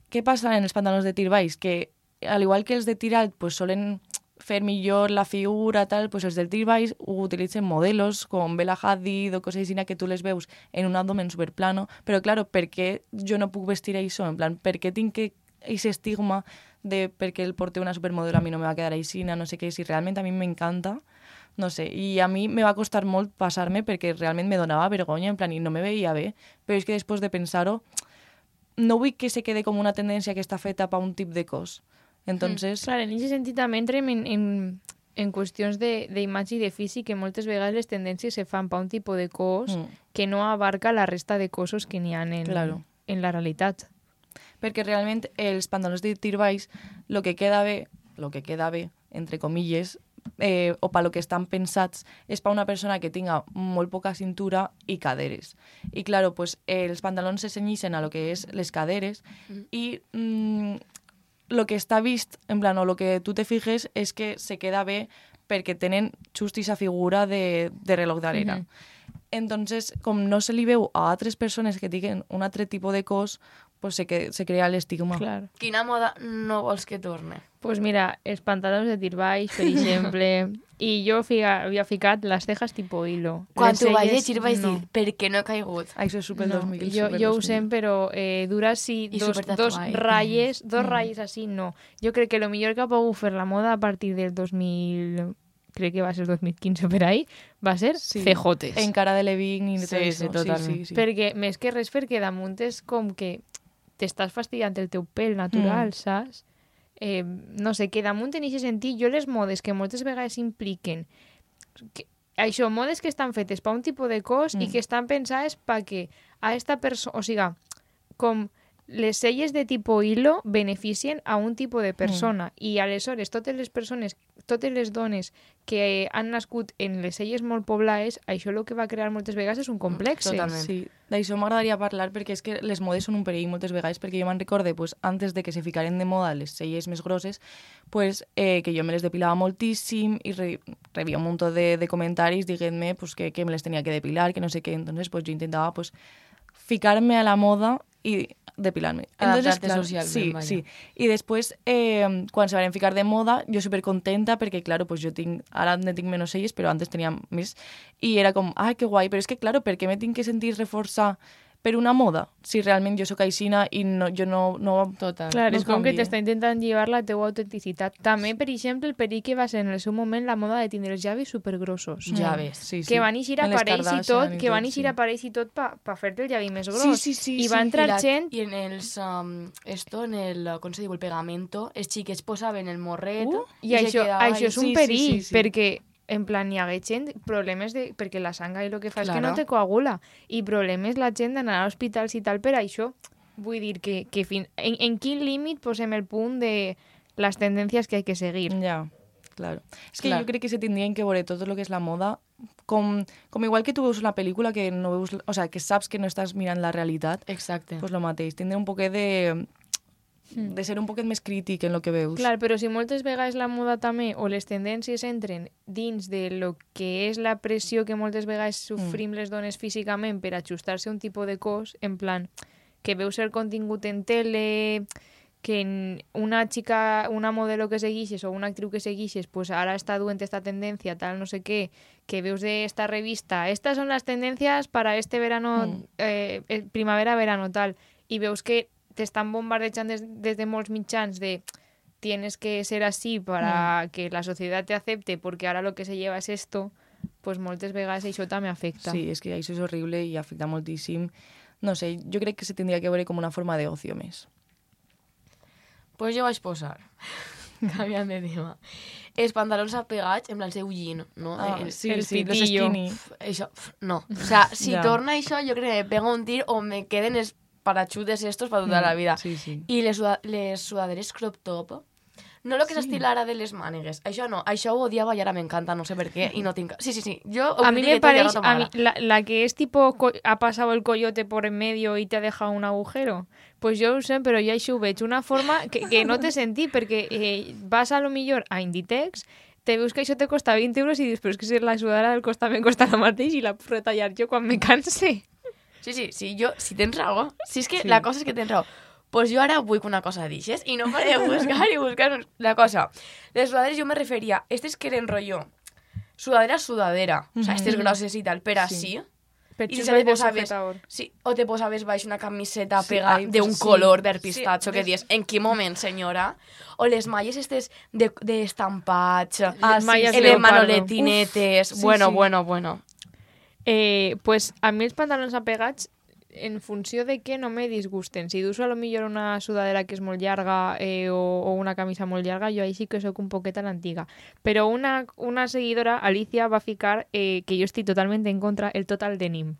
Speaker 4: què passa en els pantalons de tir baix? Que, al igual que els de tir alt, pues, solen fer millor la figura, tal, pues els del tir baix ho utilitzen modelos com Bella Hadid o coses així que tu les veus en un abdomen superplano, però, claro, per què jo no puc vestir això? En plan, per què tinc que ese estigma de perquè el porte una supermodelo a mi no me va quedar així, no sé què, si realment a mi m'encanta, no sé, i a mi me va costar molt passar-me perquè realment me donava vergonya, en plan, i no me veia bé, però és que després de pensar-ho, no vull que se quede com una tendència que està feta per un tip de cos. Entonces,
Speaker 3: Clar, en aquest sentit també entrem en, en, en qüestions d'imatge i de físic, que moltes vegades les tendències se fan per un tipus de cos
Speaker 4: Mm.
Speaker 3: que no abarca la resta de cossos que n'hi ha en,
Speaker 4: Claro.
Speaker 3: en la realitat.
Speaker 4: perquè realment els pantalons de tir baix, lo que queda bé, lo que queda bé, entre comilles, eh, o per lo que estan pensats, és per una persona que tinga molt poca cintura i caderes. I, claro, pues, eh, els pantalons se cenyixen a lo que és les caderes
Speaker 2: Mm.
Speaker 4: i mm, lo que està vist, en plan, o lo que tu te fijes, és que se queda bé perquè tenen just aquesta figura de, de reloj d'arena.
Speaker 3: Mhm.
Speaker 4: Entonces, com no se li veu a altres persones que tinguin un altre tipus de cos, pues se, que, se crea l'estigma.
Speaker 3: Clar.
Speaker 2: Quina moda no vols que torne?
Speaker 3: Pues mira, els pantalons de tir baix, per exemple, i jo figa, havia ficat les cejas tipo hilo.
Speaker 2: Quan
Speaker 3: Les
Speaker 2: t'ho vaig
Speaker 3: celles,
Speaker 2: llegir vaig
Speaker 3: no.
Speaker 2: dir, per què no he caigut?
Speaker 4: Això és super
Speaker 3: No,
Speaker 4: dos mil.
Speaker 3: jo,
Speaker 4: super
Speaker 3: jo ho
Speaker 4: dos mil.
Speaker 3: sé, però eh, dura sí
Speaker 2: I
Speaker 3: dos, dos
Speaker 2: supertatuai.
Speaker 3: ratlles, dos
Speaker 4: Mm.
Speaker 3: ratlles així, no. Jo crec que lo millor que ha pogut fer la moda a partir del dos mil... Crec que va ser dos mil quinze per ahí, va ser
Speaker 4: Sí.
Speaker 3: C Jotes.
Speaker 4: En cara de Levin i de
Speaker 2: Sí,
Speaker 4: tot
Speaker 2: sí,
Speaker 4: això.
Speaker 2: totalment.
Speaker 4: Sí, sí, sí.
Speaker 3: Perquè, més que res, perquè damunt és com que t'estàs fastidiant el teu pèl natural,
Speaker 4: Mm.
Speaker 3: saps? Eh, no sé, que damunt en aquest sentit, jo les modes que moltes vegades impliquen que, això, modes que estan fetes per un tipus de cos mm. i
Speaker 4: Mm.
Speaker 3: que estan pensades perquè a esta persona, o sigui, com les celles de tipus hilo beneficien a un tipus de persona mm. i aleshores totes les persones, totes les dones que han nascut en les celles molt poblades, això el que va crear moltes vegades és un complex.
Speaker 2: Totalment.
Speaker 4: Sí, d'això m'agradaria parlar perquè és que les modes són un perill moltes vegades, perquè jo me'n recorde, pues, antes de que se ficaren de moda les celles més grosses, pues, eh, que jo me les depilava moltíssim i re, rebia un munt de, de comentaris dient-me pues, que, que me les tenia que depilar, que no sé què, entonces pues, jo intentava pues, ficar-me a la moda i depilar-me. Entonces,
Speaker 2: Adaptar-te
Speaker 4: claro,
Speaker 2: socialment,
Speaker 4: sí,
Speaker 2: vaya.
Speaker 4: sí. I després, eh, quan se van ficar de moda, jo supercontenta perquè, claro, pues jo tinc, ara ne tinc menys celles, però antes tenia més. I era com, ah, que guai, però és que, claro, per què me tinc que sentir reforçar per una moda? Si realment jo sóc aixina i no, jo no... no
Speaker 2: Total.
Speaker 3: Clar,
Speaker 4: no
Speaker 3: és com que
Speaker 4: canvia.
Speaker 3: t'està intentant llevar la teua autenticitat. També, per exemple, el perill que va ser en el seu moment la moda de tindre els llavis supergrossos.
Speaker 2: Ja
Speaker 4: Mm,
Speaker 2: ves.
Speaker 4: Sí, sí.
Speaker 3: Que van eixir
Speaker 4: En les
Speaker 3: aparells i
Speaker 4: Kardashian
Speaker 3: tot, que van eixir
Speaker 4: sí.
Speaker 3: aparells i tot per pa fer-te el llavi més gros.
Speaker 4: Sí, sí, sí,
Speaker 3: I
Speaker 4: sí.
Speaker 3: va entrar
Speaker 2: I, la,
Speaker 3: gent...
Speaker 2: I en els, um, esto, en el, com se diu, el pegamento, els xiquets posaven el morret
Speaker 4: Uh,
Speaker 3: I, això, això és un
Speaker 4: Sí, sí,
Speaker 3: perill,
Speaker 4: sí, sí.
Speaker 3: perquè en plan hi hagué gent, problemes de... perquè la sanga i el que fa és que
Speaker 2: Claro.
Speaker 3: no te coagula, i problemes la gent d'anar a hospitals i tal per això. Vull dir que, que fin... en, en quin límit posem el punt de les tendències que hay que seguir?
Speaker 4: Ja, claro. És que
Speaker 2: Clar.
Speaker 4: jo crec que se tindrien que veure tot el que és la moda com, com igual que tu veus una pel·lícula que no veus, o sea, que saps que no estàs mirant la realitat,
Speaker 2: Exacte.
Speaker 4: pues lo mateix, tindre un poquet de de ser un poquet més crític en lo que veus.
Speaker 3: Clar, però si moltes vegades la moda també o les tendències entren dins de lo que és la pressió que moltes vegades sofrim les dones físicament per ajustar-se a un tipus de cos, en plan, que veus el contingut en tele, que en una xica, una modelo que seguixes o una actriu que seguixes, pues ara està duent esta tendència, tal, no sé què, que veus de esta revista, estas son las tendencias para este verano,
Speaker 4: Mm.
Speaker 3: eh, eh, primavera-verano, tal, i veus que t'estan bombardejant des, des de molts mitjans de tienes que ser así para mm. que la sociedad te acepte porque ahora lo que se lleva es esto, pues moltes vegades això també afecta.
Speaker 4: Sí, és que això és horrible i afecta moltíssim. No sé, jo crec que se tindria que veure com una forma d'ocio més.
Speaker 2: Pues jo vaig posar, canviant de tema, els pantalons apegats, en plan seu jean, no?
Speaker 4: Ah,
Speaker 2: El-
Speaker 4: sí,
Speaker 3: el
Speaker 4: sí, los
Speaker 3: pitillo.
Speaker 4: skinny.
Speaker 2: Això, pf, no. O sea, si
Speaker 4: Ja.
Speaker 2: torna això, jo crec que me pega un tir o me queden els parachutes estos para toda la vida.
Speaker 4: Sí, sí.
Speaker 2: I les, suda les sudaderes crop top, no el que és estil ara de les mànegues. Això no, això ho odiava i ara m'encanta, no sé per què, i no tinc... Sí, sí, sí, jo ho
Speaker 3: A mí me
Speaker 2: critiqué tot i ara
Speaker 3: parece,
Speaker 2: no
Speaker 3: a mí,
Speaker 2: m'agrada.
Speaker 3: la, la que es tipo, co- ha pasado el coyote por en medio y te ha dejado un agujero. Pues yo ho sé, pero ya això ho veig una forma que, que no te sentí, perquè eh, vas a lo millor a Inditex, te veus que això te costa vint euros i dius, però és que si la sudadera del costat me costa el mateix i la puc retallar jo quan me canse.
Speaker 2: Sí, sí, sí, jo, si tens raó, si és que
Speaker 4: Sí.
Speaker 2: la cosa és que tens raó, pues jo ara vull que una cosa dixes i no faré buscar i buscar la cosa. Les sudaderes jo me referia, estes que eren rotllo, sudadera, sudadera, o sea, estes grosses i tal, però
Speaker 4: Sí.
Speaker 2: sí.
Speaker 3: Per
Speaker 2: I si
Speaker 3: xupa
Speaker 2: te
Speaker 3: i de
Speaker 2: posaves,
Speaker 3: sujetador.
Speaker 2: sí, o te posaves baix una camiseta
Speaker 4: Sí,
Speaker 2: pega
Speaker 4: ai,
Speaker 2: de un
Speaker 4: sí.
Speaker 2: color verd
Speaker 4: Sí,
Speaker 2: pistatxo que
Speaker 4: des-
Speaker 2: dius, en quin moment, senyora? O les malles estes de, de estampats,
Speaker 3: Ah, sí,
Speaker 2: malles
Speaker 3: sí.
Speaker 2: de
Speaker 3: leopardo.
Speaker 2: manoletinetes,
Speaker 4: Uf, sí,
Speaker 2: bueno,
Speaker 4: sí.
Speaker 2: bueno, bueno.
Speaker 3: Eh, pues a mi els pantalons apegats, en funció de què no me disgusten. Si duso a lo millor una sudadera que és molt llarga eh, o, o una camisa molt llarga, jo ahí sí que sóc un poquet a l'antiga. Però una, una seguidora, Alicia, va ficar eh, que jo estic totalment en contra el total denim.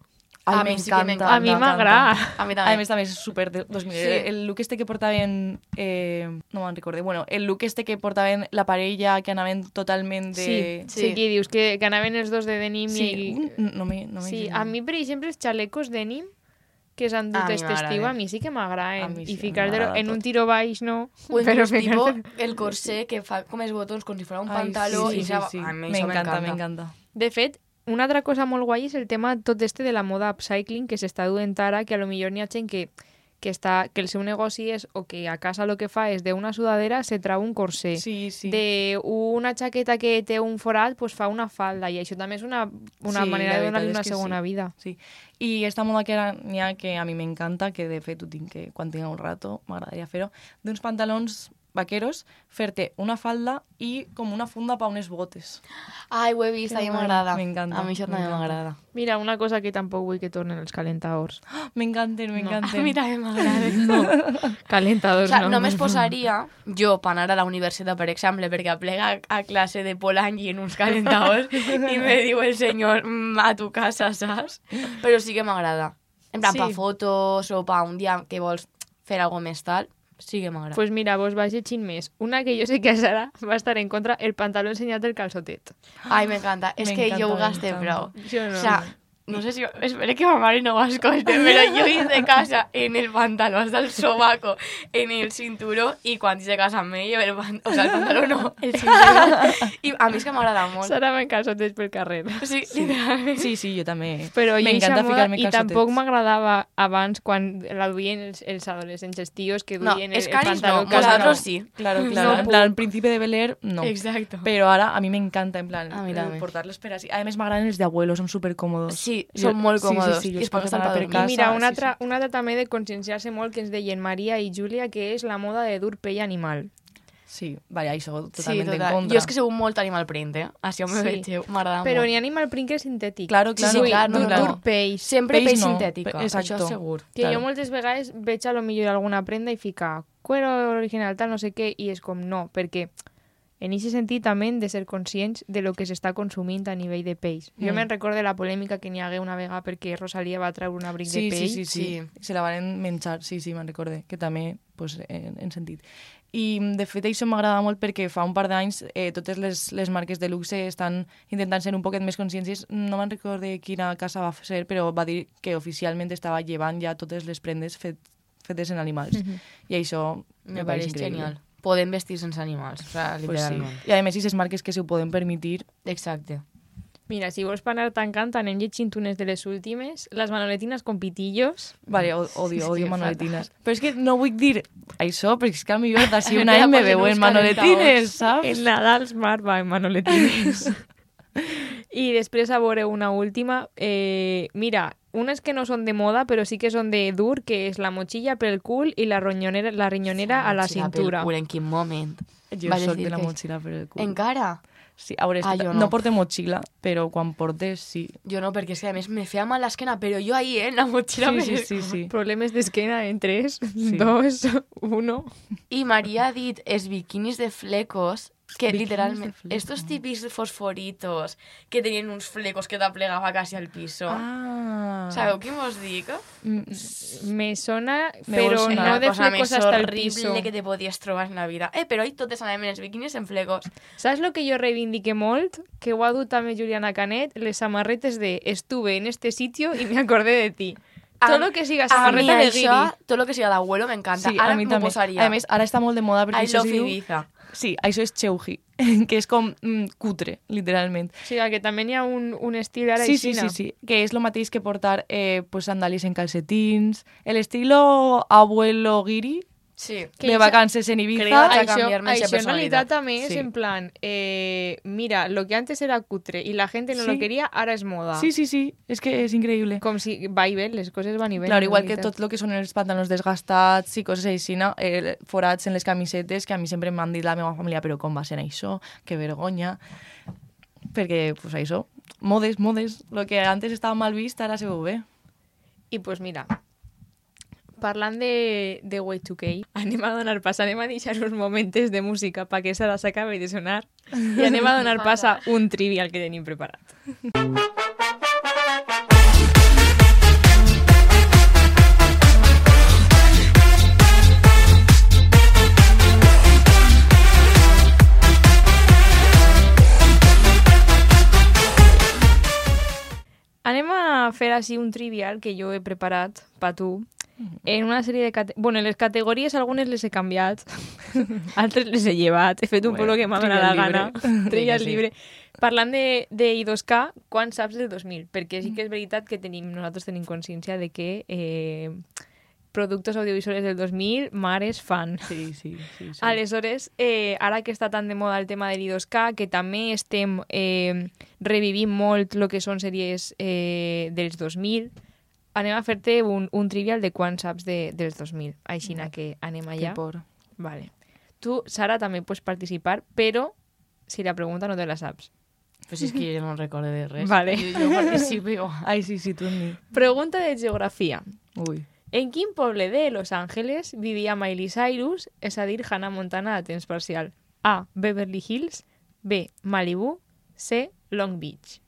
Speaker 2: A
Speaker 4: Ay,
Speaker 2: mi
Speaker 4: me
Speaker 2: sí que me
Speaker 4: encanta.
Speaker 3: A mi
Speaker 4: me encanta.
Speaker 3: m'agrada.
Speaker 2: A mi
Speaker 4: A
Speaker 2: també.
Speaker 4: més, també és super de dos mil.
Speaker 2: Sí.
Speaker 4: El look este que portaven... Eh, no me'n recorde. Bueno, el look este que portaven la parella, que anaven totalment de...
Speaker 3: Sí, sí,
Speaker 2: Sí.
Speaker 3: que dius que, que anaven els dos de denim
Speaker 4: Sí,
Speaker 3: i...
Speaker 4: un- no me, no me
Speaker 3: Sí,
Speaker 4: sent.
Speaker 3: a mi, per exemple, els xalecos denim que s'han
Speaker 2: A
Speaker 3: dut
Speaker 2: mi
Speaker 3: aquest estiu,
Speaker 2: m'agraden.
Speaker 3: a mi sí que
Speaker 4: A
Speaker 3: m'agraden.
Speaker 4: mi sí,
Speaker 3: I
Speaker 4: a mi
Speaker 3: ficar
Speaker 4: m'agrada
Speaker 3: en un
Speaker 4: tot.
Speaker 3: tiro baix, no.
Speaker 2: O inclús tipo
Speaker 3: ficar-te-
Speaker 2: el corsé que fa com els botons com si fos un
Speaker 4: Ai,
Speaker 2: pantaló
Speaker 4: sí,
Speaker 2: i
Speaker 4: sí,
Speaker 2: ja...
Speaker 4: sí, sí.
Speaker 2: A mi
Speaker 4: Me
Speaker 2: això
Speaker 4: encanta, me encanta.
Speaker 3: De fet, una altra cosa molt guai és el tema tot este de la moda upcycling que s'està duent ara, que a lo millor n'hi ha gent que, que, està, que el seu negoci és, o que a casa lo que fa és d'una sudadera se trau un corsé.
Speaker 4: Sí, sí.
Speaker 3: De una jaqueta que té un forat, pues fa una falda, i això també és una, una
Speaker 4: Sí,
Speaker 3: manera
Speaker 4: la
Speaker 3: de
Speaker 4: veritat
Speaker 3: donar-li
Speaker 4: és
Speaker 3: una
Speaker 4: que
Speaker 3: segona
Speaker 4: sí.
Speaker 3: vida.
Speaker 4: Sí. I esta moda que ara n'hi ha que a mi m'encanta, que de fet ho tinc que quan tinc un rato m'agradaria fer-ho, d'uns pantalons vaqueros, fer-te una falda i com una funda pa unes botes.
Speaker 2: Ai, ho he vist, a mi
Speaker 3: guai.
Speaker 2: m'agrada.
Speaker 4: M'encanta,
Speaker 2: A mi això també
Speaker 4: m'encanta.
Speaker 2: m'agrada.
Speaker 3: Mira, una cosa que tampoc vull que tornen els calentadors.
Speaker 4: M'encanten,
Speaker 2: A
Speaker 4: m'encanten.
Speaker 2: mi també m'agrada.
Speaker 3: No, calentadors
Speaker 2: O sea,
Speaker 3: no.
Speaker 2: només posaria jo per anar a la universitat, per exemple, perquè aplega a classe de Polanyi en uns calentadors i me diu el senyor "Mm, a tu casa, saps? Però sí que m'agrada. En plan,
Speaker 3: Sí.
Speaker 2: pa fotos o pa un dia que vols fer algo més tal, sí que m'agrada.
Speaker 3: Pues mira, vos vaig llegint més. Una que jo sé que a Sara va estar en contra, el pantaló ensenyat del calçotet.
Speaker 2: Ai, m'encanta. És que jo ho
Speaker 4: M'encanta,
Speaker 2: gasté
Speaker 4: m'encanta.
Speaker 2: prou.
Speaker 3: Jo no.
Speaker 2: O sea, no sé si... Espero que ma mare no ho escolte, però jo he de casa en el pantaló hasta el sobaco, en el cinturó, i quan de casa amb ell, el, pan... o sea, el pantaló no, el cinturó. I a mi és que m'agrada molt.
Speaker 3: Sara va en calçotets pel carrer.
Speaker 2: Sí, literalment.
Speaker 4: Sí, sí, jo també.
Speaker 3: Però jo
Speaker 4: M'encanta
Speaker 3: eixa moda,
Speaker 4: ficar-me
Speaker 3: i
Speaker 4: calçotets.
Speaker 3: tampoc m'agradava abans quan la duien els, els adolescents, els tios que
Speaker 2: No,
Speaker 3: duien el,
Speaker 2: els
Speaker 3: el
Speaker 2: caris
Speaker 3: pantaló.
Speaker 2: no,
Speaker 3: calçat.
Speaker 2: nosaltres sí.
Speaker 4: Claro, claro.
Speaker 3: No
Speaker 4: en plan, al principi de Bel Air, no.
Speaker 2: Exacto.
Speaker 4: Però ara a mi m'encanta, en plan,
Speaker 2: A mi
Speaker 4: el
Speaker 2: també.
Speaker 4: portar-los per així. A més, m'agraden els d'abuelo, són supercòmodos.
Speaker 2: Sí,
Speaker 4: Jo-
Speaker 2: són molt
Speaker 4: sí, sí,
Speaker 2: còmodos.
Speaker 4: sí, jo
Speaker 2: I es
Speaker 4: els
Speaker 2: pot
Speaker 4: porto
Speaker 2: estar
Speaker 4: per
Speaker 2: per
Speaker 3: I
Speaker 4: casa,
Speaker 3: mira, una
Speaker 4: sí,
Speaker 3: altra,
Speaker 4: sí.
Speaker 3: una altra també de conscienciar-se molt que ens deien Maria i Júlia, que és la moda de dur pell animal.
Speaker 4: Sí, vale, això
Speaker 2: Sí,
Speaker 4: totalment en
Speaker 2: total.
Speaker 4: contra.
Speaker 2: Jo és que sou molt animal print, eh? Així me
Speaker 3: Sí.
Speaker 2: vegeu, m'agrada
Speaker 3: Però
Speaker 2: molt.
Speaker 3: n'hi ha animal print que és sintètic.
Speaker 4: Claro, claro.
Speaker 2: Sí, sí, clar,
Speaker 3: dur,
Speaker 2: no, no.
Speaker 3: dur pell.
Speaker 2: Sempre
Speaker 4: Peix
Speaker 2: pell
Speaker 4: no,
Speaker 2: sintètica,
Speaker 4: pe- exacto.
Speaker 2: això segur.
Speaker 3: Que
Speaker 4: Claro.
Speaker 3: jo moltes vegades veig a lo millor alguna prenda i fica cuero original, tal, no sé què, i és com no, perquè en aquest sentit també hem de ser conscients de lo que s'està consumint a nivell de peix. Jo
Speaker 4: Mm.
Speaker 3: me'n recordo la polèmica que n'hi hagué una vegada perquè Rosalia va treure un abric
Speaker 4: Sí,
Speaker 3: de
Speaker 4: sí,
Speaker 3: pell.
Speaker 4: sí, sí,
Speaker 2: Sí.
Speaker 4: Se la van menjar, sí, sí, me'n recorde, que també pues, en, en sentit. I, de fet, això m'agrada molt perquè fa un par d'anys eh, totes les, les marques de luxe estan intentant ser un poquet més consciències. No me'n recordo quina casa va ser, però va dir que oficialment estava llevant ja totes les prendes fet, fetes en animals.
Speaker 3: Mhm.
Speaker 4: I això
Speaker 2: Me
Speaker 4: pareix
Speaker 2: pareix
Speaker 4: increïble.
Speaker 2: genial. Podem vestir sense animals, o sea,
Speaker 4: Pues sí.
Speaker 2: literalment.
Speaker 4: I a més, aquestes marques que s'ho poden permetir,
Speaker 2: Exacte.
Speaker 3: Mira, si vols per anar tancant, anem llegint unes de les últimes. Les manoletinas con pitillos.
Speaker 4: vale, o- odio,
Speaker 2: Sí,
Speaker 4: odio
Speaker 2: sí,
Speaker 4: manoletinas. Però és que no vull dir això, perquè és que a millor d'ací un
Speaker 2: Me
Speaker 4: any
Speaker 2: la
Speaker 4: me
Speaker 2: posen
Speaker 4: veuen
Speaker 2: uns
Speaker 4: manoletines, saps?
Speaker 3: El Nadal Smart va en manoletines. I després a veure una última. Eh, mira, unes que no són de moda, però sí que són de dur, que és la motxilla pel cul i la ronyonera, la rinyonera a la
Speaker 2: Motxilla pel
Speaker 3: cintura.
Speaker 2: cul, en quin moment?
Speaker 4: Jo
Speaker 2: Vas
Speaker 4: soc
Speaker 2: dir
Speaker 4: de la
Speaker 2: que-
Speaker 4: motxilla per el cul.
Speaker 2: Encara?
Speaker 4: Sí, a veure, és
Speaker 2: Ah,
Speaker 4: que
Speaker 2: jo
Speaker 4: no.
Speaker 2: no.
Speaker 4: no porte motxilla, però quan portes, sí.
Speaker 2: Jo no, perquè és que a més me feia mal l'esquena, però jo ahí, eh, en la motxilla.
Speaker 4: Sí,
Speaker 2: me-
Speaker 4: sí, sí, sí.
Speaker 3: Problemes d'esquena en tres, dos, uno.
Speaker 2: I Maria ha dit els biquinis de flecos que
Speaker 4: Bikinis
Speaker 2: literalment,
Speaker 4: de fleco.
Speaker 2: estos típics fosforitos que tenien uns flecos que t'aplegava quasi al piso.
Speaker 4: Ah.
Speaker 2: Sabeu què mos dic?
Speaker 4: Mm,
Speaker 3: Me sona,
Speaker 4: Me
Speaker 3: pero
Speaker 4: vol sonar.
Speaker 3: no
Speaker 2: La
Speaker 3: de
Speaker 2: cosa
Speaker 3: flecos
Speaker 2: més
Speaker 3: hasta el
Speaker 2: horrible
Speaker 3: piso.
Speaker 2: que te podies trobar en la vida. Eh, però ahí totes anàvem en els biquinis en flecos.
Speaker 3: Saps lo que jo reivindique molt? Que ho ha dut també Juliana Canet, les samarretes de estuve en este sitio y me acordé de ti. Todo lo que siga samarreta
Speaker 2: a mi
Speaker 3: de
Speaker 2: això,
Speaker 3: guiri.
Speaker 2: tot lo que siga d'abuelo m'encanta.
Speaker 4: Sí,
Speaker 2: Ara
Speaker 4: a mi
Speaker 2: m'ho
Speaker 4: també.
Speaker 2: posaria.
Speaker 4: A més, ara està molt de moda perquè
Speaker 2: I
Speaker 4: això
Speaker 2: love
Speaker 4: es diu...
Speaker 2: Ibiza.
Speaker 4: Sí, això és cheuji, que és com mm, cutre, literalment.
Speaker 3: O sigui, que també hi ha un, un estil ara
Speaker 4: Sí, sí,
Speaker 3: aixina.
Speaker 4: sí, sí, que és el mateix que portar eh, pues, sandalies en calcetins, el estilo abuelo guiri,
Speaker 2: Sí.
Speaker 3: Que
Speaker 4: de
Speaker 3: això-
Speaker 4: vacances en Ibiza.
Speaker 2: Creo que-
Speaker 3: Això,
Speaker 2: cambiar-me
Speaker 3: això
Speaker 2: esa
Speaker 3: en realitat
Speaker 2: personalitat.
Speaker 3: també és
Speaker 4: Sí.
Speaker 3: en plan, eh, mira, lo que antes era cutre y la gente no
Speaker 4: Sí.
Speaker 3: lo quería, ahora es moda.
Speaker 4: Sí, sí, sí, és que és increïble.
Speaker 3: Com si va i ve, les coses van i ven.
Speaker 4: Claro,
Speaker 3: en
Speaker 4: igual que
Speaker 3: realitat.
Speaker 4: tot el que són els pantalons desgastats i coses així, no? eh, forats en les camisetes, que a mi sempre m'han dit la meva família, però com va ser això? Que vergonya. Perquè, pues això, modes, modes, lo que antes estava mal vist, ara se veu bé.
Speaker 3: I pues mira, parlant de, de Y dos K, anem a donar pas, anem a deixar uns moments de música perquè Sara s'acabi de sonar i anem a donar pas a un trivial que tenim preparat. Anem a fer així un trivial que jo he preparat per tu en una sèrie de... Cate... Bueno, les categories algunes les he canviat, altres les he llevat, he fet un
Speaker 4: Bueno,
Speaker 3: poc el que m'ha donat la
Speaker 4: trivial
Speaker 3: gana.
Speaker 4: libre.
Speaker 3: Trivial
Speaker 2: Sí, sí.
Speaker 3: libre. Parlant de, de I dos K, quan saps del dos mil? Perquè sí que és veritat que tenim, nosaltres tenim consciència de que eh, productes audiovisuals del dos mil, mares fan.
Speaker 4: Sí, sí, sí. sí.
Speaker 3: Aleshores, eh, ara que està tan de moda el tema de l'I dos K, que també estem eh, revivint molt el que són sèries eh, dels dos mil, anem a fer-te un, un trivial de quan saps de, dels dos mil. Aixina que anem
Speaker 4: Que
Speaker 3: allà.
Speaker 4: por.
Speaker 3: Vale. Tu, Sara, també pots participar, però si la pregunta no te la saps.
Speaker 2: Pues és que jo no recordo de res.
Speaker 3: Vale.
Speaker 2: Jo, jo participo igual.
Speaker 4: Ai, sí, sí, tu en mi.
Speaker 3: Pregunta de geografia.
Speaker 4: Ui.
Speaker 3: En quin poble de Los Ángeles vivia Miley Cyrus, és a dir, Hannah Montana a temps parcial? A. Beverly Hills. B. Malibu. C. Long Beach.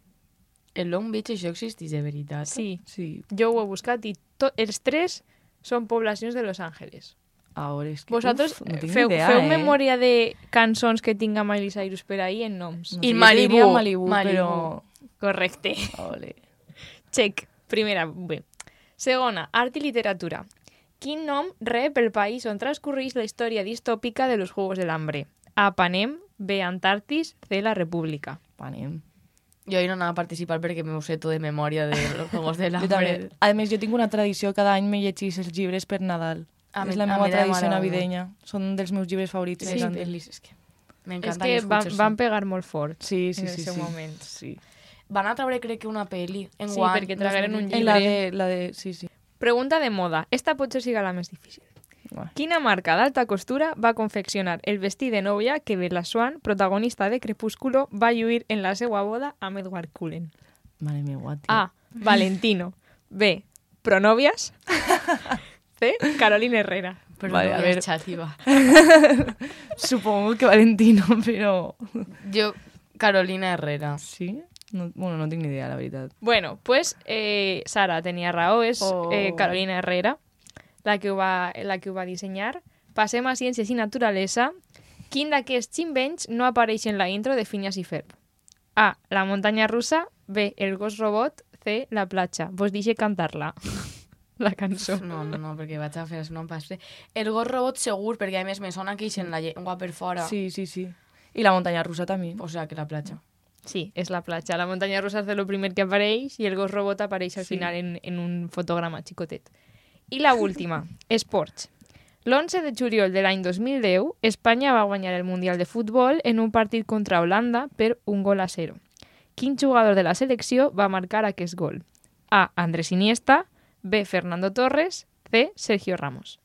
Speaker 2: El Long Beach això existeix de veritat?
Speaker 3: Sí,
Speaker 4: Sí,
Speaker 3: jo ho he buscat i to- els tres són poblacions de Los Ángeles.
Speaker 4: ara és que...
Speaker 3: Vosaltres
Speaker 4: uf, no tinc
Speaker 3: feu,
Speaker 4: idea,
Speaker 3: feu
Speaker 4: eh?
Speaker 3: memòria de cançons que tinga Miley Cyrus per ahí en noms.
Speaker 4: No
Speaker 2: I
Speaker 4: sé, jo
Speaker 2: Malibu,
Speaker 4: diria Malibu,
Speaker 2: Malibu.
Speaker 4: però...
Speaker 3: Correcte.
Speaker 4: Ole.
Speaker 3: Check. Primera, bé. Segona, art i literatura. Quin nom rep el país on transcurreix la història distòpica de los Juegos del Hambre? A. Panem. B. Antartis. C. La República.
Speaker 4: Panem.
Speaker 2: Jo ahir no anava a participar perquè m'ho sé tot de memòria de los Juegos de
Speaker 4: Jo també.
Speaker 2: l'Hambre.
Speaker 4: A més, jo tinc una tradició, cada any me llegís els llibres per Nadal.
Speaker 2: A
Speaker 4: és
Speaker 2: mi-
Speaker 4: la
Speaker 2: a
Speaker 4: meva
Speaker 2: mi també
Speaker 4: tradició
Speaker 2: m'agrada
Speaker 4: navideña. Són dels meus llibres favorits.
Speaker 2: Sí,
Speaker 4: m'encanten.
Speaker 2: sí. És que
Speaker 3: És
Speaker 2: m'encanta
Speaker 3: que
Speaker 2: i
Speaker 3: van,
Speaker 2: escucho
Speaker 3: van
Speaker 2: això.
Speaker 3: pegar molt fort
Speaker 4: Sí, sí,
Speaker 3: en
Speaker 4: sí.
Speaker 3: el seu
Speaker 4: sí.
Speaker 3: moment.
Speaker 4: Sí.
Speaker 2: Van a treure, crec que, una pel·li. En
Speaker 3: Sí,
Speaker 2: guany,
Speaker 3: perquè tragueren un
Speaker 2: dos mil vint.
Speaker 4: En la de, la de... Sí, sí.
Speaker 3: Pregunta de moda. Esta potser siga la més difícil.
Speaker 4: Uah.
Speaker 3: Quina marca d'alta costura va confeccionar el vestit de novia que Bella Swan, protagonista de Crepúsculo, va lluir en la seva boda amb Edward Cullen?
Speaker 4: Mare meva, tio.
Speaker 3: A. Valentino. B. Pronovias. C. Carolina Herrera.
Speaker 2: Però
Speaker 4: Vale,
Speaker 2: no
Speaker 4: a
Speaker 2: a
Speaker 4: ver.
Speaker 2: ver, xativa.
Speaker 4: Supongo que Valentino, però...
Speaker 2: Jo, Carolina Herrera.
Speaker 4: Sí? No, bueno, no tinc ni idea, la veritat.
Speaker 3: Bueno, pues eh, Sara tenia raó, és
Speaker 4: Oh.
Speaker 3: eh, Carolina Herrera la que, ho va, la que ho va dissenyar. Passem a Ciències i Naturalesa. Quin d'aquests invents no apareix en la intro de Phineas i Ferb? A. La muntanya russa. B. El gos robot. C. La platja. Vos deixe cantar-la. La cançó.
Speaker 2: No, no, no, perquè vaig a fer no em passe. El gos robot segur, perquè a més me sona que ixen la llengua per fora.
Speaker 4: Sí, sí, sí. I la muntanya russa també.
Speaker 2: O sea, que la platja.
Speaker 3: Sí, és la platja. La muntanya russa és el primer que apareix i el gos robot apareix al
Speaker 4: Sí.
Speaker 3: final en, en un fotograma xicotet. I la última, esports. L'onze de juliol de l'any dos mil deu, Espanya va guanyar el Mundial de Futbol en un partit contra Holanda per un gol a zero. Quin jugador de la selecció va marcar aquest gol? A. Andrés Iniesta. B. Fernando Torres. C. Sergio Ramos.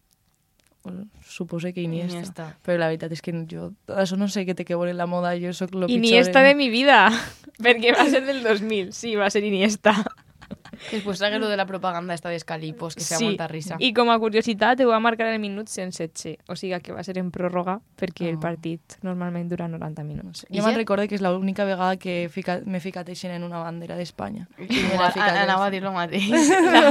Speaker 4: Bueno, supose que Iniesta.
Speaker 2: Iniesta.
Speaker 4: Però la veritat és que jo... Això no sé què té que veure en la moda, jo sóc lo
Speaker 3: Iniesta
Speaker 4: pitjor
Speaker 3: de
Speaker 4: en...
Speaker 3: mi vida, perquè va ser del dos mil. Sí, va ser Iniesta.
Speaker 2: Després hagué lo de la propaganda esta d'Escalipos, que feia
Speaker 3: Sí,
Speaker 2: molta risa.
Speaker 3: i com a curiositat ho va marcar el minut cent setze, o sigui que va ser en pròrroga perquè el
Speaker 4: Ah.
Speaker 3: partit normalment dura noranta minuts.
Speaker 4: Jo me'n recordo que és l'única vegada que he ficat- m'he ficat així en una bandera d'Espanya.
Speaker 2: Igual, a- anava a dir lo mateix.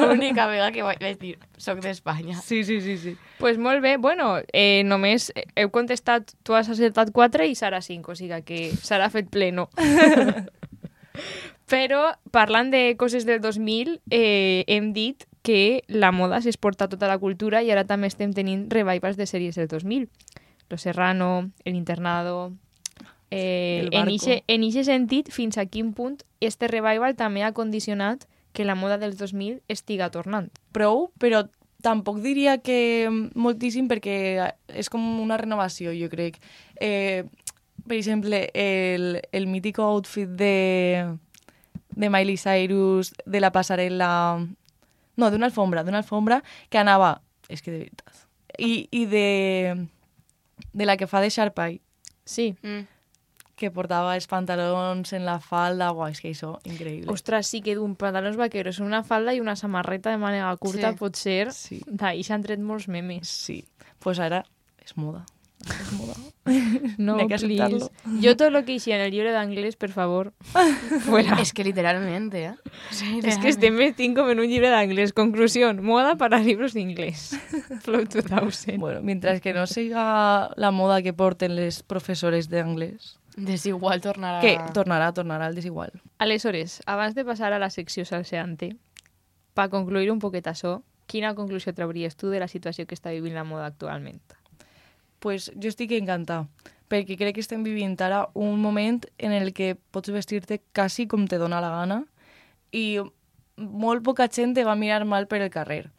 Speaker 2: L'única vegada que vaig dir, soc d'Espanya.
Speaker 4: Sí, sí, sí, sí.
Speaker 3: Pues molt bé, bueno, eh, només heu contestat, tu has acertat quatre i Sara cinc, o sigui que Sara ha fet pleno. Però, parlant de coses del dos mil, eh, hem dit que la moda s'exporta a tota la cultura i ara també estem tenint revivals de sèries del dos mil. Lo Serrano, El Internado... Eh,
Speaker 4: El
Speaker 3: en
Speaker 4: Barco.
Speaker 3: ixe, en ixe sentit, fins a quin punt este revival també ha condicionat que la moda dels dos mil estiga tornant?
Speaker 4: Prou, però tampoc diria que moltíssim perquè és com una renovació, jo crec. Eh, per exemple, el, el mítico outfit de, de Miley Cyrus, de la passarel·la... No, d'una alfombra, d'una alfombra que anava... És que de veritat. I, i de, de la que fa de Sharpay,
Speaker 3: Sí.
Speaker 2: Mm.
Speaker 4: que portava els pantalons en la falda, guau, és que això, increïble.
Speaker 3: Ostres, sí que d'un pantalons vaqueros, una falda i una samarreta de mànega curta
Speaker 2: Sí.
Speaker 3: pot ser...
Speaker 4: Sí.
Speaker 3: D'ahir s'han tret molts memes.
Speaker 4: Sí, pues ara és moda. És moda.
Speaker 3: No,
Speaker 4: N'hi ha que
Speaker 3: please.
Speaker 4: acceptarlo.
Speaker 3: Jo tot lo que hixia en el llibre d'anglès, per favor, fuera.
Speaker 2: Es que literalmente, ¿eh?
Speaker 3: Es que estem vestint com en un llibre d'anglès. Conclusión, moda para libros de inglés. Flow dos mil.
Speaker 4: Bueno, mientras que no siga la moda que porten les professores d'anglès,
Speaker 2: Desigual tornarà...
Speaker 4: que tornarà, tornarà al desigual.
Speaker 3: Aleshores, abans de passar a la secció salseante, per concluir un poquet això, quina conclusió trauries tu de la situació que està vivint la moda actualment?
Speaker 4: Pues jo estic encantada, perquè crec que estem vivint ara un moment en el que pots vestir-te quasi com te dona la gana i molt poca gent te va mirar mal per el carrer.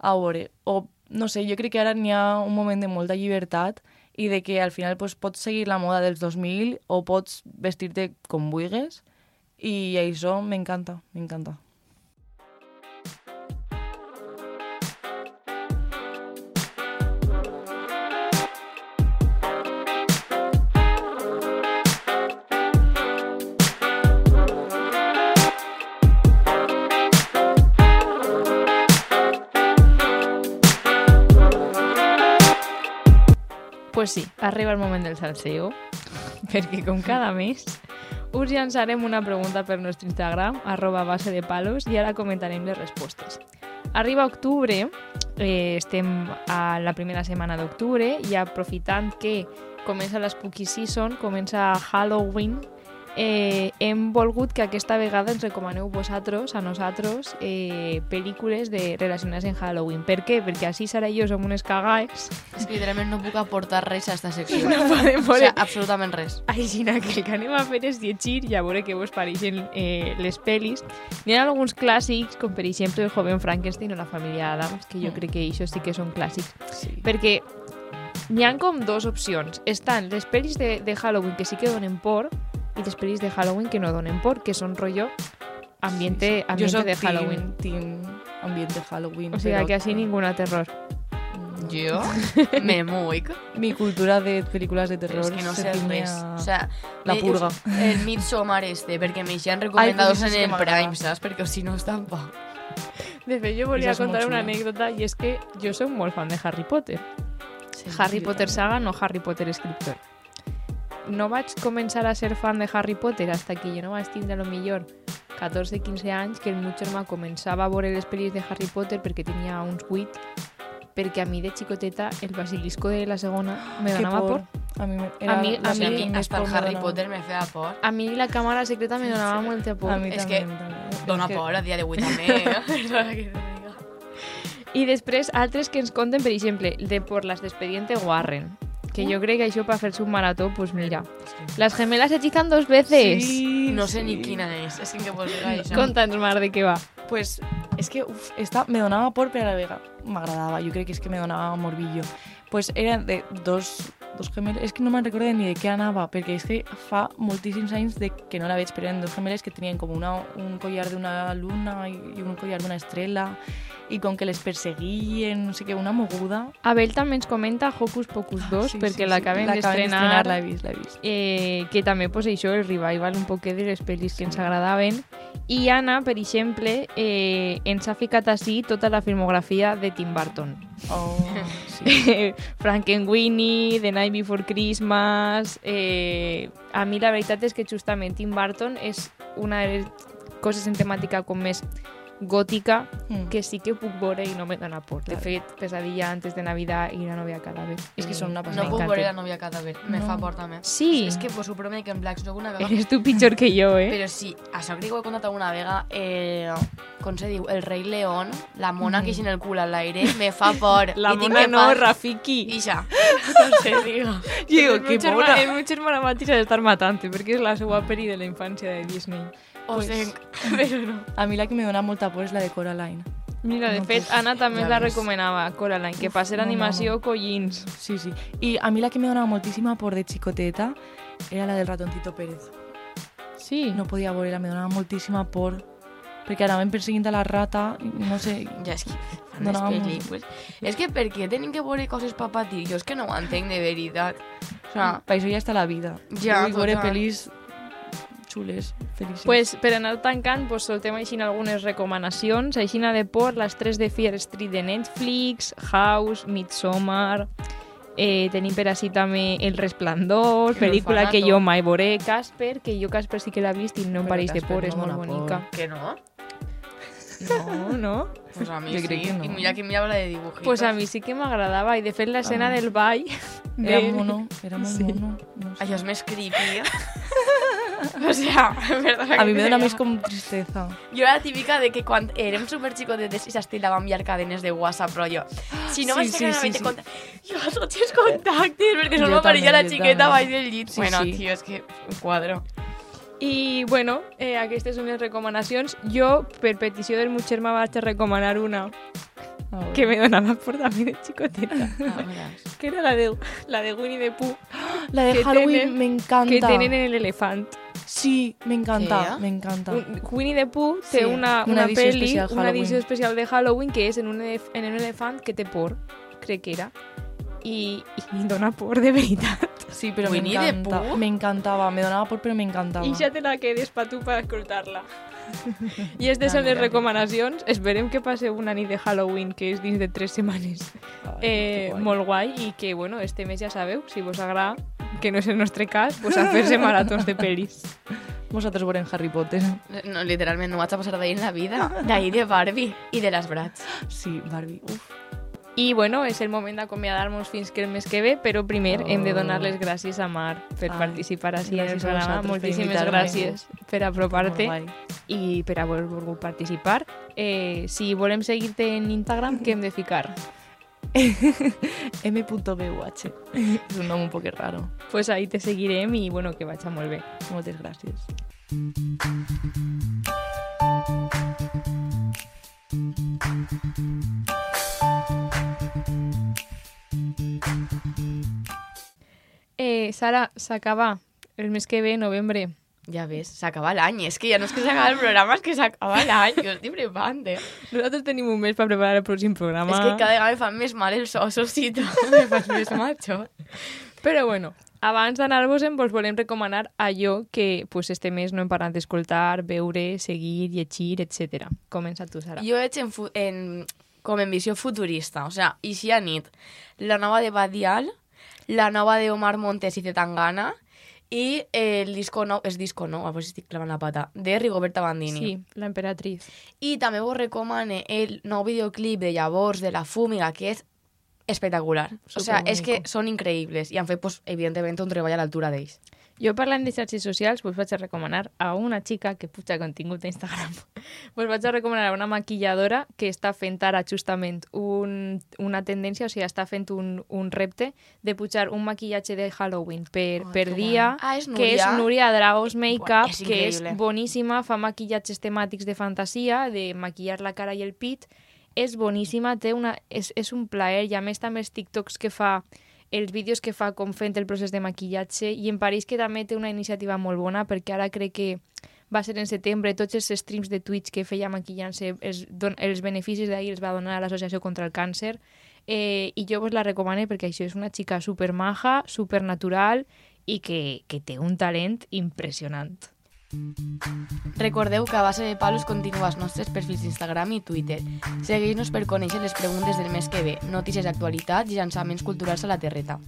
Speaker 4: A veure, o no sé, jo crec que ara n'hi ha un moment de molta llibertat i de que al final pues, pots seguir la moda dels dos mil o pots vestir-te com vulguis i això m'encanta, m'encanta.
Speaker 3: Pues sí, arriba el moment del salseo, perquè com cada mes us llançarem una pregunta per nostre Instagram, arroba base de palos, i ara comentarem les respostes. Arriba octubre, eh, estem a la primera setmana d'octubre, i aprofitant que comença la Spooky Season, comença Halloween, eh, hem volgut que aquesta vegada ens recomaneu vosaltres, a nosaltres, eh, pel·lícules de, relacionades en Halloween. Per què? Perquè així Sara i jo som unes cagaes.
Speaker 2: És que literalment no puc aportar res a esta secció.
Speaker 3: No podem
Speaker 2: O
Speaker 3: veure.
Speaker 2: sea, absolutament res.
Speaker 3: Així que el que anem a fer és llegir i a veure què vos pareixen eh, les pel·lis. N'hi ha alguns clàssics, com per exemple El joven Frankenstein o La família Adams, que jo crec que això sí que són clàssics.
Speaker 4: Sí.
Speaker 3: Perquè n'hi ha com dos opcions. Estan les pel·lis de, de Halloween que sí que donen por i les pel·lis de Halloween que no donen por, que són rotllo ambiente,
Speaker 4: Jo
Speaker 3: ambiente
Speaker 4: soc
Speaker 3: de Halloween.
Speaker 4: team, team ambiente Halloween.
Speaker 3: O sigui
Speaker 4: però
Speaker 3: que així ninguna terror.
Speaker 2: Jo me muic.
Speaker 4: Mi cultura de pel·lícules de terror
Speaker 2: És que no
Speaker 4: se
Speaker 2: sé
Speaker 4: ciñe
Speaker 2: res.
Speaker 4: a
Speaker 2: O sea,
Speaker 4: la
Speaker 2: me-
Speaker 4: purga.
Speaker 2: El Midsommar este, perquè m'eixen recomendados
Speaker 4: Ai, pues
Speaker 2: en
Speaker 4: és que
Speaker 2: el
Speaker 4: m'agrada.
Speaker 2: Prime, saps? Perquè si no està en pa.
Speaker 3: De fet, jo volia
Speaker 4: Això és molt
Speaker 3: contar una
Speaker 4: xulo.
Speaker 3: anècdota i és que jo soc molt fan de Harry Potter.
Speaker 2: Sí,
Speaker 3: Harry
Speaker 4: jo
Speaker 3: Potter
Speaker 4: també.
Speaker 3: saga, no Harry Potter escriptor. No vaig començar a ser fan de Harry Potter hasta que jo no vaig tindre a lo millor catorze quinze anys, que el meu germà començava a veure les pel·lis de Harry Potter perquè tenia uns vuit, perquè a mi de xicoteta el basilisco de la segona me
Speaker 4: Que
Speaker 3: donava por.
Speaker 4: A mi, me,
Speaker 3: A mi-
Speaker 4: la
Speaker 3: a
Speaker 2: O sea, a
Speaker 3: mi
Speaker 2: mi
Speaker 4: més
Speaker 2: hasta el
Speaker 4: por me
Speaker 2: Harry
Speaker 4: donava.
Speaker 2: Potter me feia por.
Speaker 3: A mi la càmera secreta me donava molta por.
Speaker 4: A mi
Speaker 2: És
Speaker 4: també.
Speaker 2: que
Speaker 4: també.
Speaker 2: Dona
Speaker 4: És que-
Speaker 2: por a dia d'avui també. eh? Perdona que te diga.
Speaker 3: I després, altres que ens conten, per exemple, de por las de Expediente Warren, que jo crec que això per fer-se un marató, pues mira, las gemelas hechizan dos veces.
Speaker 4: Sí,
Speaker 2: No sé
Speaker 4: sí.
Speaker 2: ni quina és. És que em pots dir això.
Speaker 3: Conta'ns, Mar, de què va.
Speaker 4: Pues és que uf, esta me donava por, però a la vegada m'agradava. Jo crec que és que me donava morbillo. Pues eren de dos, Dos Gemelos, és que no me'n recordo ni de què anava, perquè és que fa moltíssims anys de que no la veig, però eren dos gemeles que tenien com una, un collar d'una luna i, i un collar d'una estrella, i com que les perseguien, no sé què, una moguda.
Speaker 3: Abel també ens comenta Hocus Pocus dos,
Speaker 4: Sí,
Speaker 3: perquè
Speaker 4: sí,
Speaker 3: l'acaben
Speaker 4: sí.
Speaker 3: d'estrenar,
Speaker 4: l'he vist, l'he vist.
Speaker 3: eh, que també pues, això, el revival un poquet de les pel·lis que ens agradaven. I Anna, per exemple, eh, ens ha ficat així tota la filmografia de Tim Burton.
Speaker 4: Oh, sí.
Speaker 3: Frankenweenie, The Night Before Christmas... Eh, a mi la veritat és que justament Tim Burton és una de les coses en temàtica com més gòtica
Speaker 4: Mm.
Speaker 3: que sí que puc veure i no me dona por. De
Speaker 4: Claro.
Speaker 3: fet, Pesadilla antes de Navidad i La novia cadàver.
Speaker 4: És que són una
Speaker 2: No
Speaker 4: passada.
Speaker 2: puc
Speaker 3: m'encanten.
Speaker 2: veure la novia cadàver, me
Speaker 4: No.
Speaker 2: fa por també.
Speaker 3: Sí.
Speaker 2: És que pues, ho promet que en Black soc una vegada...
Speaker 3: Eres tu pitjor que jo, eh?
Speaker 2: Però sí, això crec que ho he contat alguna vegada, eh, com se diu, el rei León, la mona
Speaker 4: Mm.
Speaker 2: que ixen el cul al aire, me fa por.
Speaker 3: La
Speaker 2: I tinc
Speaker 3: mona
Speaker 2: que
Speaker 3: no,
Speaker 2: pas-
Speaker 3: Rafiki.
Speaker 2: I ja, no sé, digo.
Speaker 4: Digo,
Speaker 3: el
Speaker 4: que
Speaker 3: meu germà,
Speaker 4: pobra.
Speaker 3: el meu germà la mateixa d'estar matant perquè és la seva peli de la infància de Disney.
Speaker 2: O
Speaker 4: Pues-
Speaker 2: sea, però no.
Speaker 4: A mi la que me dona molta por és la de Coraline.
Speaker 3: Mira, de
Speaker 4: No
Speaker 3: fet,
Speaker 4: puc.
Speaker 3: Anna també
Speaker 2: Ja
Speaker 3: ens la
Speaker 2: ves.
Speaker 3: recomanava, Coraline, que
Speaker 4: Uf,
Speaker 3: passi
Speaker 4: no, no,
Speaker 3: l'animació
Speaker 4: no.
Speaker 3: collins.
Speaker 4: Sí, sí. I a mi la que me donava moltíssima por de xicoteta era la del ratoncito Pérez.
Speaker 3: Sí.
Speaker 4: No podia veure-la, me donava moltíssima por. Perquè anaven perseguint a la rata, i no sé...
Speaker 2: Ja, és que fan
Speaker 4: No,
Speaker 2: les
Speaker 4: no, no.
Speaker 2: pel·lícules. És que per què tenen que veure coses pa patir? Jo és que no ho entenc de veritat. O sea,
Speaker 4: Per això ja està la vida.
Speaker 2: Ja,
Speaker 4: Vull veure
Speaker 2: total.
Speaker 4: pel·lis xules, felices.
Speaker 3: Pues, per anar tancant, pues, soltem així algunes recomanacions. Aixina de por, les tres de Fear Street de Netflix, House, Midsommar... Eh, tenim per així també El Resplandor,
Speaker 2: Que
Speaker 3: pel·lícula que
Speaker 2: l'orfanato.
Speaker 3: jo mai veuré, Casper, que jo Casper sí que l'he vist i no em
Speaker 4: Però
Speaker 3: pareix de
Speaker 4: Casper
Speaker 3: por,
Speaker 4: no
Speaker 3: és molt
Speaker 4: dona por.
Speaker 3: bonica.
Speaker 2: que no?
Speaker 3: No, no.
Speaker 2: Pues a mi
Speaker 4: Jo
Speaker 2: sí.
Speaker 4: crec que no.
Speaker 2: I mira que mirava la de dibujitos.
Speaker 3: Pues a mi sí que m'agradava i de fet l'escena
Speaker 4: mi.
Speaker 3: del ball...
Speaker 4: Era
Speaker 3: de-
Speaker 4: mono, era molt
Speaker 3: Sí.
Speaker 4: mono. No sé.
Speaker 2: Això és més creepy. O sea, perdona
Speaker 4: A mi
Speaker 2: que
Speaker 4: me
Speaker 2: te
Speaker 4: dona
Speaker 2: diga.
Speaker 4: més com tristeza.
Speaker 2: Jo era la típica de que quan érem superxicotetes i s'estilava enviar cadenes de WhatsApp, però jo, si no
Speaker 4: Sí,
Speaker 2: vaig
Speaker 4: sí,
Speaker 2: sacar
Speaker 4: sí,
Speaker 2: sí,
Speaker 4: sí.
Speaker 2: sí. jo tots els contactes, perquè
Speaker 4: Jo
Speaker 2: solo m'apareixia la
Speaker 4: també, jo
Speaker 2: xiqueta
Speaker 4: també.
Speaker 2: baix del llit.
Speaker 4: Sí,
Speaker 2: bueno,
Speaker 4: sí.
Speaker 2: tio, és que un quadro.
Speaker 3: I, bueno, eh, aquestes són les recomanacions. Jo, per petició del meu germà, vaig a recomanar una
Speaker 4: A veure.
Speaker 3: que me donava por també de xicoteta,
Speaker 2: Ah, veràs.
Speaker 3: que era la de, la de Winnie the Pooh,
Speaker 4: La de
Speaker 3: que
Speaker 4: Halloween
Speaker 3: tenen-
Speaker 4: me encanta.
Speaker 3: que tenen en l'elefant.
Speaker 4: Sí, me encanta,
Speaker 2: Què?
Speaker 4: me encanta.
Speaker 3: Un- Winnie the Pooh té
Speaker 4: Sí,
Speaker 3: una,
Speaker 4: una
Speaker 3: una,
Speaker 4: edició
Speaker 3: peli,
Speaker 4: especial
Speaker 3: una
Speaker 4: Halloween.
Speaker 3: edició especial de Halloween que és en un, elef en un elefant que té por, crec que era. I, i dona por de veritat.
Speaker 4: Sí, però
Speaker 2: Winnie the
Speaker 4: m'encanta.
Speaker 2: Pooh?
Speaker 4: Me encantava, me donava por, però me encantava.
Speaker 3: I ja te la quedes pa tu per escoltar-la. I aquestes
Speaker 2: Ah,
Speaker 3: són les
Speaker 2: mira,
Speaker 3: recomanacions. Esperem que passeu una nit de Halloween, que és dins de tres setmanes.
Speaker 4: Ai,
Speaker 3: Eh,
Speaker 4: que guai.
Speaker 3: molt guai i que, bueno, este mes ja sabeu, si vos agrada, que no és el nostre cas, pues a fer-se maratons de pel·lis.
Speaker 4: Vosaltres veurem Harry Potter.
Speaker 2: No, literalment, no vaig a passar d'ahir en la vida. D'ahir de Barbie i de les Bratz.
Speaker 4: Sí, Barbie. Uf.
Speaker 3: I, bueno, és el moment d'acomiadar-nos fins que el mes que ve, però primer
Speaker 4: Oh.
Speaker 3: hem de donar les gràcies a Mar per
Speaker 4: Ai,
Speaker 3: participar així en el
Speaker 4: gràcies a
Speaker 3: programa.
Speaker 4: vosaltres per
Speaker 3: Moltíssimes
Speaker 4: invitar-me.
Speaker 3: gràcies per apropar-te
Speaker 4: Molt guai.
Speaker 3: i per haver volgut participar. Eh, si volem seguir-te en Instagram, què hem de ficar?
Speaker 4: M punto B U H. És un nom un poc raro.
Speaker 3: Pues ahí te seguirem i, bueno, que vaig molt bé.
Speaker 4: Moltes gràcies.
Speaker 3: Eh, Sara, s'acaba el mes que ve, novembre.
Speaker 2: Ja ves, s'acaba l'any. És que ja no és que s'acaba el programa, és que s'acaba l'any. Jo estic flipant, eh?
Speaker 3: Nosaltres tenim un mes per preparar el pròxim programa.
Speaker 2: És que cada vegada me fan més mal els ossos i tot. Me fas més macho.
Speaker 3: Però bueno, abans d'anar-vos-en vos volem recomanar allò que pues, este mes no hem parat d'escoltar, veure, seguir, llegir, etcètera. Comença tu, Sara.
Speaker 2: Jo veig en, fu- en, com en visió futurista. O sea, i si a nit, la nova de Badial, la nova de Omar Montes i Zetangana i el disco nou, és disco nou, a veure si estic clavant la pata, de Rigoberta Bandini.
Speaker 3: Sí, la emperatriz.
Speaker 2: I també vos recomane el nou videoclip de Llavors, de La Fúmiga, que és espectacular. O sea, és que són increïbles i han fet, pues, evidentment, un treball a l'altura d'ells.
Speaker 3: Jo parlant de xarxes socials vos vaig a recomanar a una xica que puja contingut d'Instagram. Vos vaig a recomanar a una maquilladora que està fent ara justament un, una tendència, o sigui, està fent un, un repte de pujar un maquillatge de Halloween per,
Speaker 2: Oh,
Speaker 3: per
Speaker 2: que
Speaker 3: dia,
Speaker 2: guai. Ah, és
Speaker 3: que és
Speaker 2: Núria?
Speaker 3: Núria Dragos Makeup,
Speaker 2: Buah, és
Speaker 3: que és
Speaker 2: increïble.
Speaker 3: boníssima, fa maquillatges temàtics de fantasia, de maquillar la cara i el pit, és boníssima, té una, és, és un plaer, i a més també els TikToks que fa els vídeos que fa com fent el procés de maquillatge, i em pareix que també té una iniciativa molt bona, perquè ara crec que va ser en setembre, tots els streams de Twitch que feia maquillant-se, els, don, els beneficis d'ahir els va donar a l'Associació contra el Càncer, eh, i jo vos la recomano perquè això és una xica super maja, super natural i que, que té un talent impressionant.
Speaker 2: Recordeu que a base de palos continua els nostres perfils d'Instagram i Twitter. Segueix-nos per conèixer les preguntes del mes que ve, notícies d'actualitat i llançaments culturals a la terreta.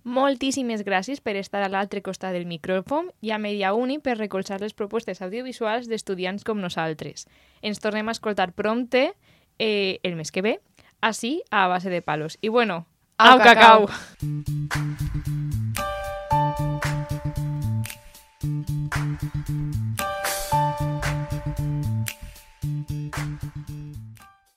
Speaker 3: Moltíssimes gràcies per estar a l'altre costat del micròfon i a Media Uni per recolzar les propostes audiovisuals d'estudiants com nosaltres. Ens tornem a escoltar prompte eh, el mes que ve, així a base de palos. I bueno, au,
Speaker 2: Au, cacau!
Speaker 3: cacau!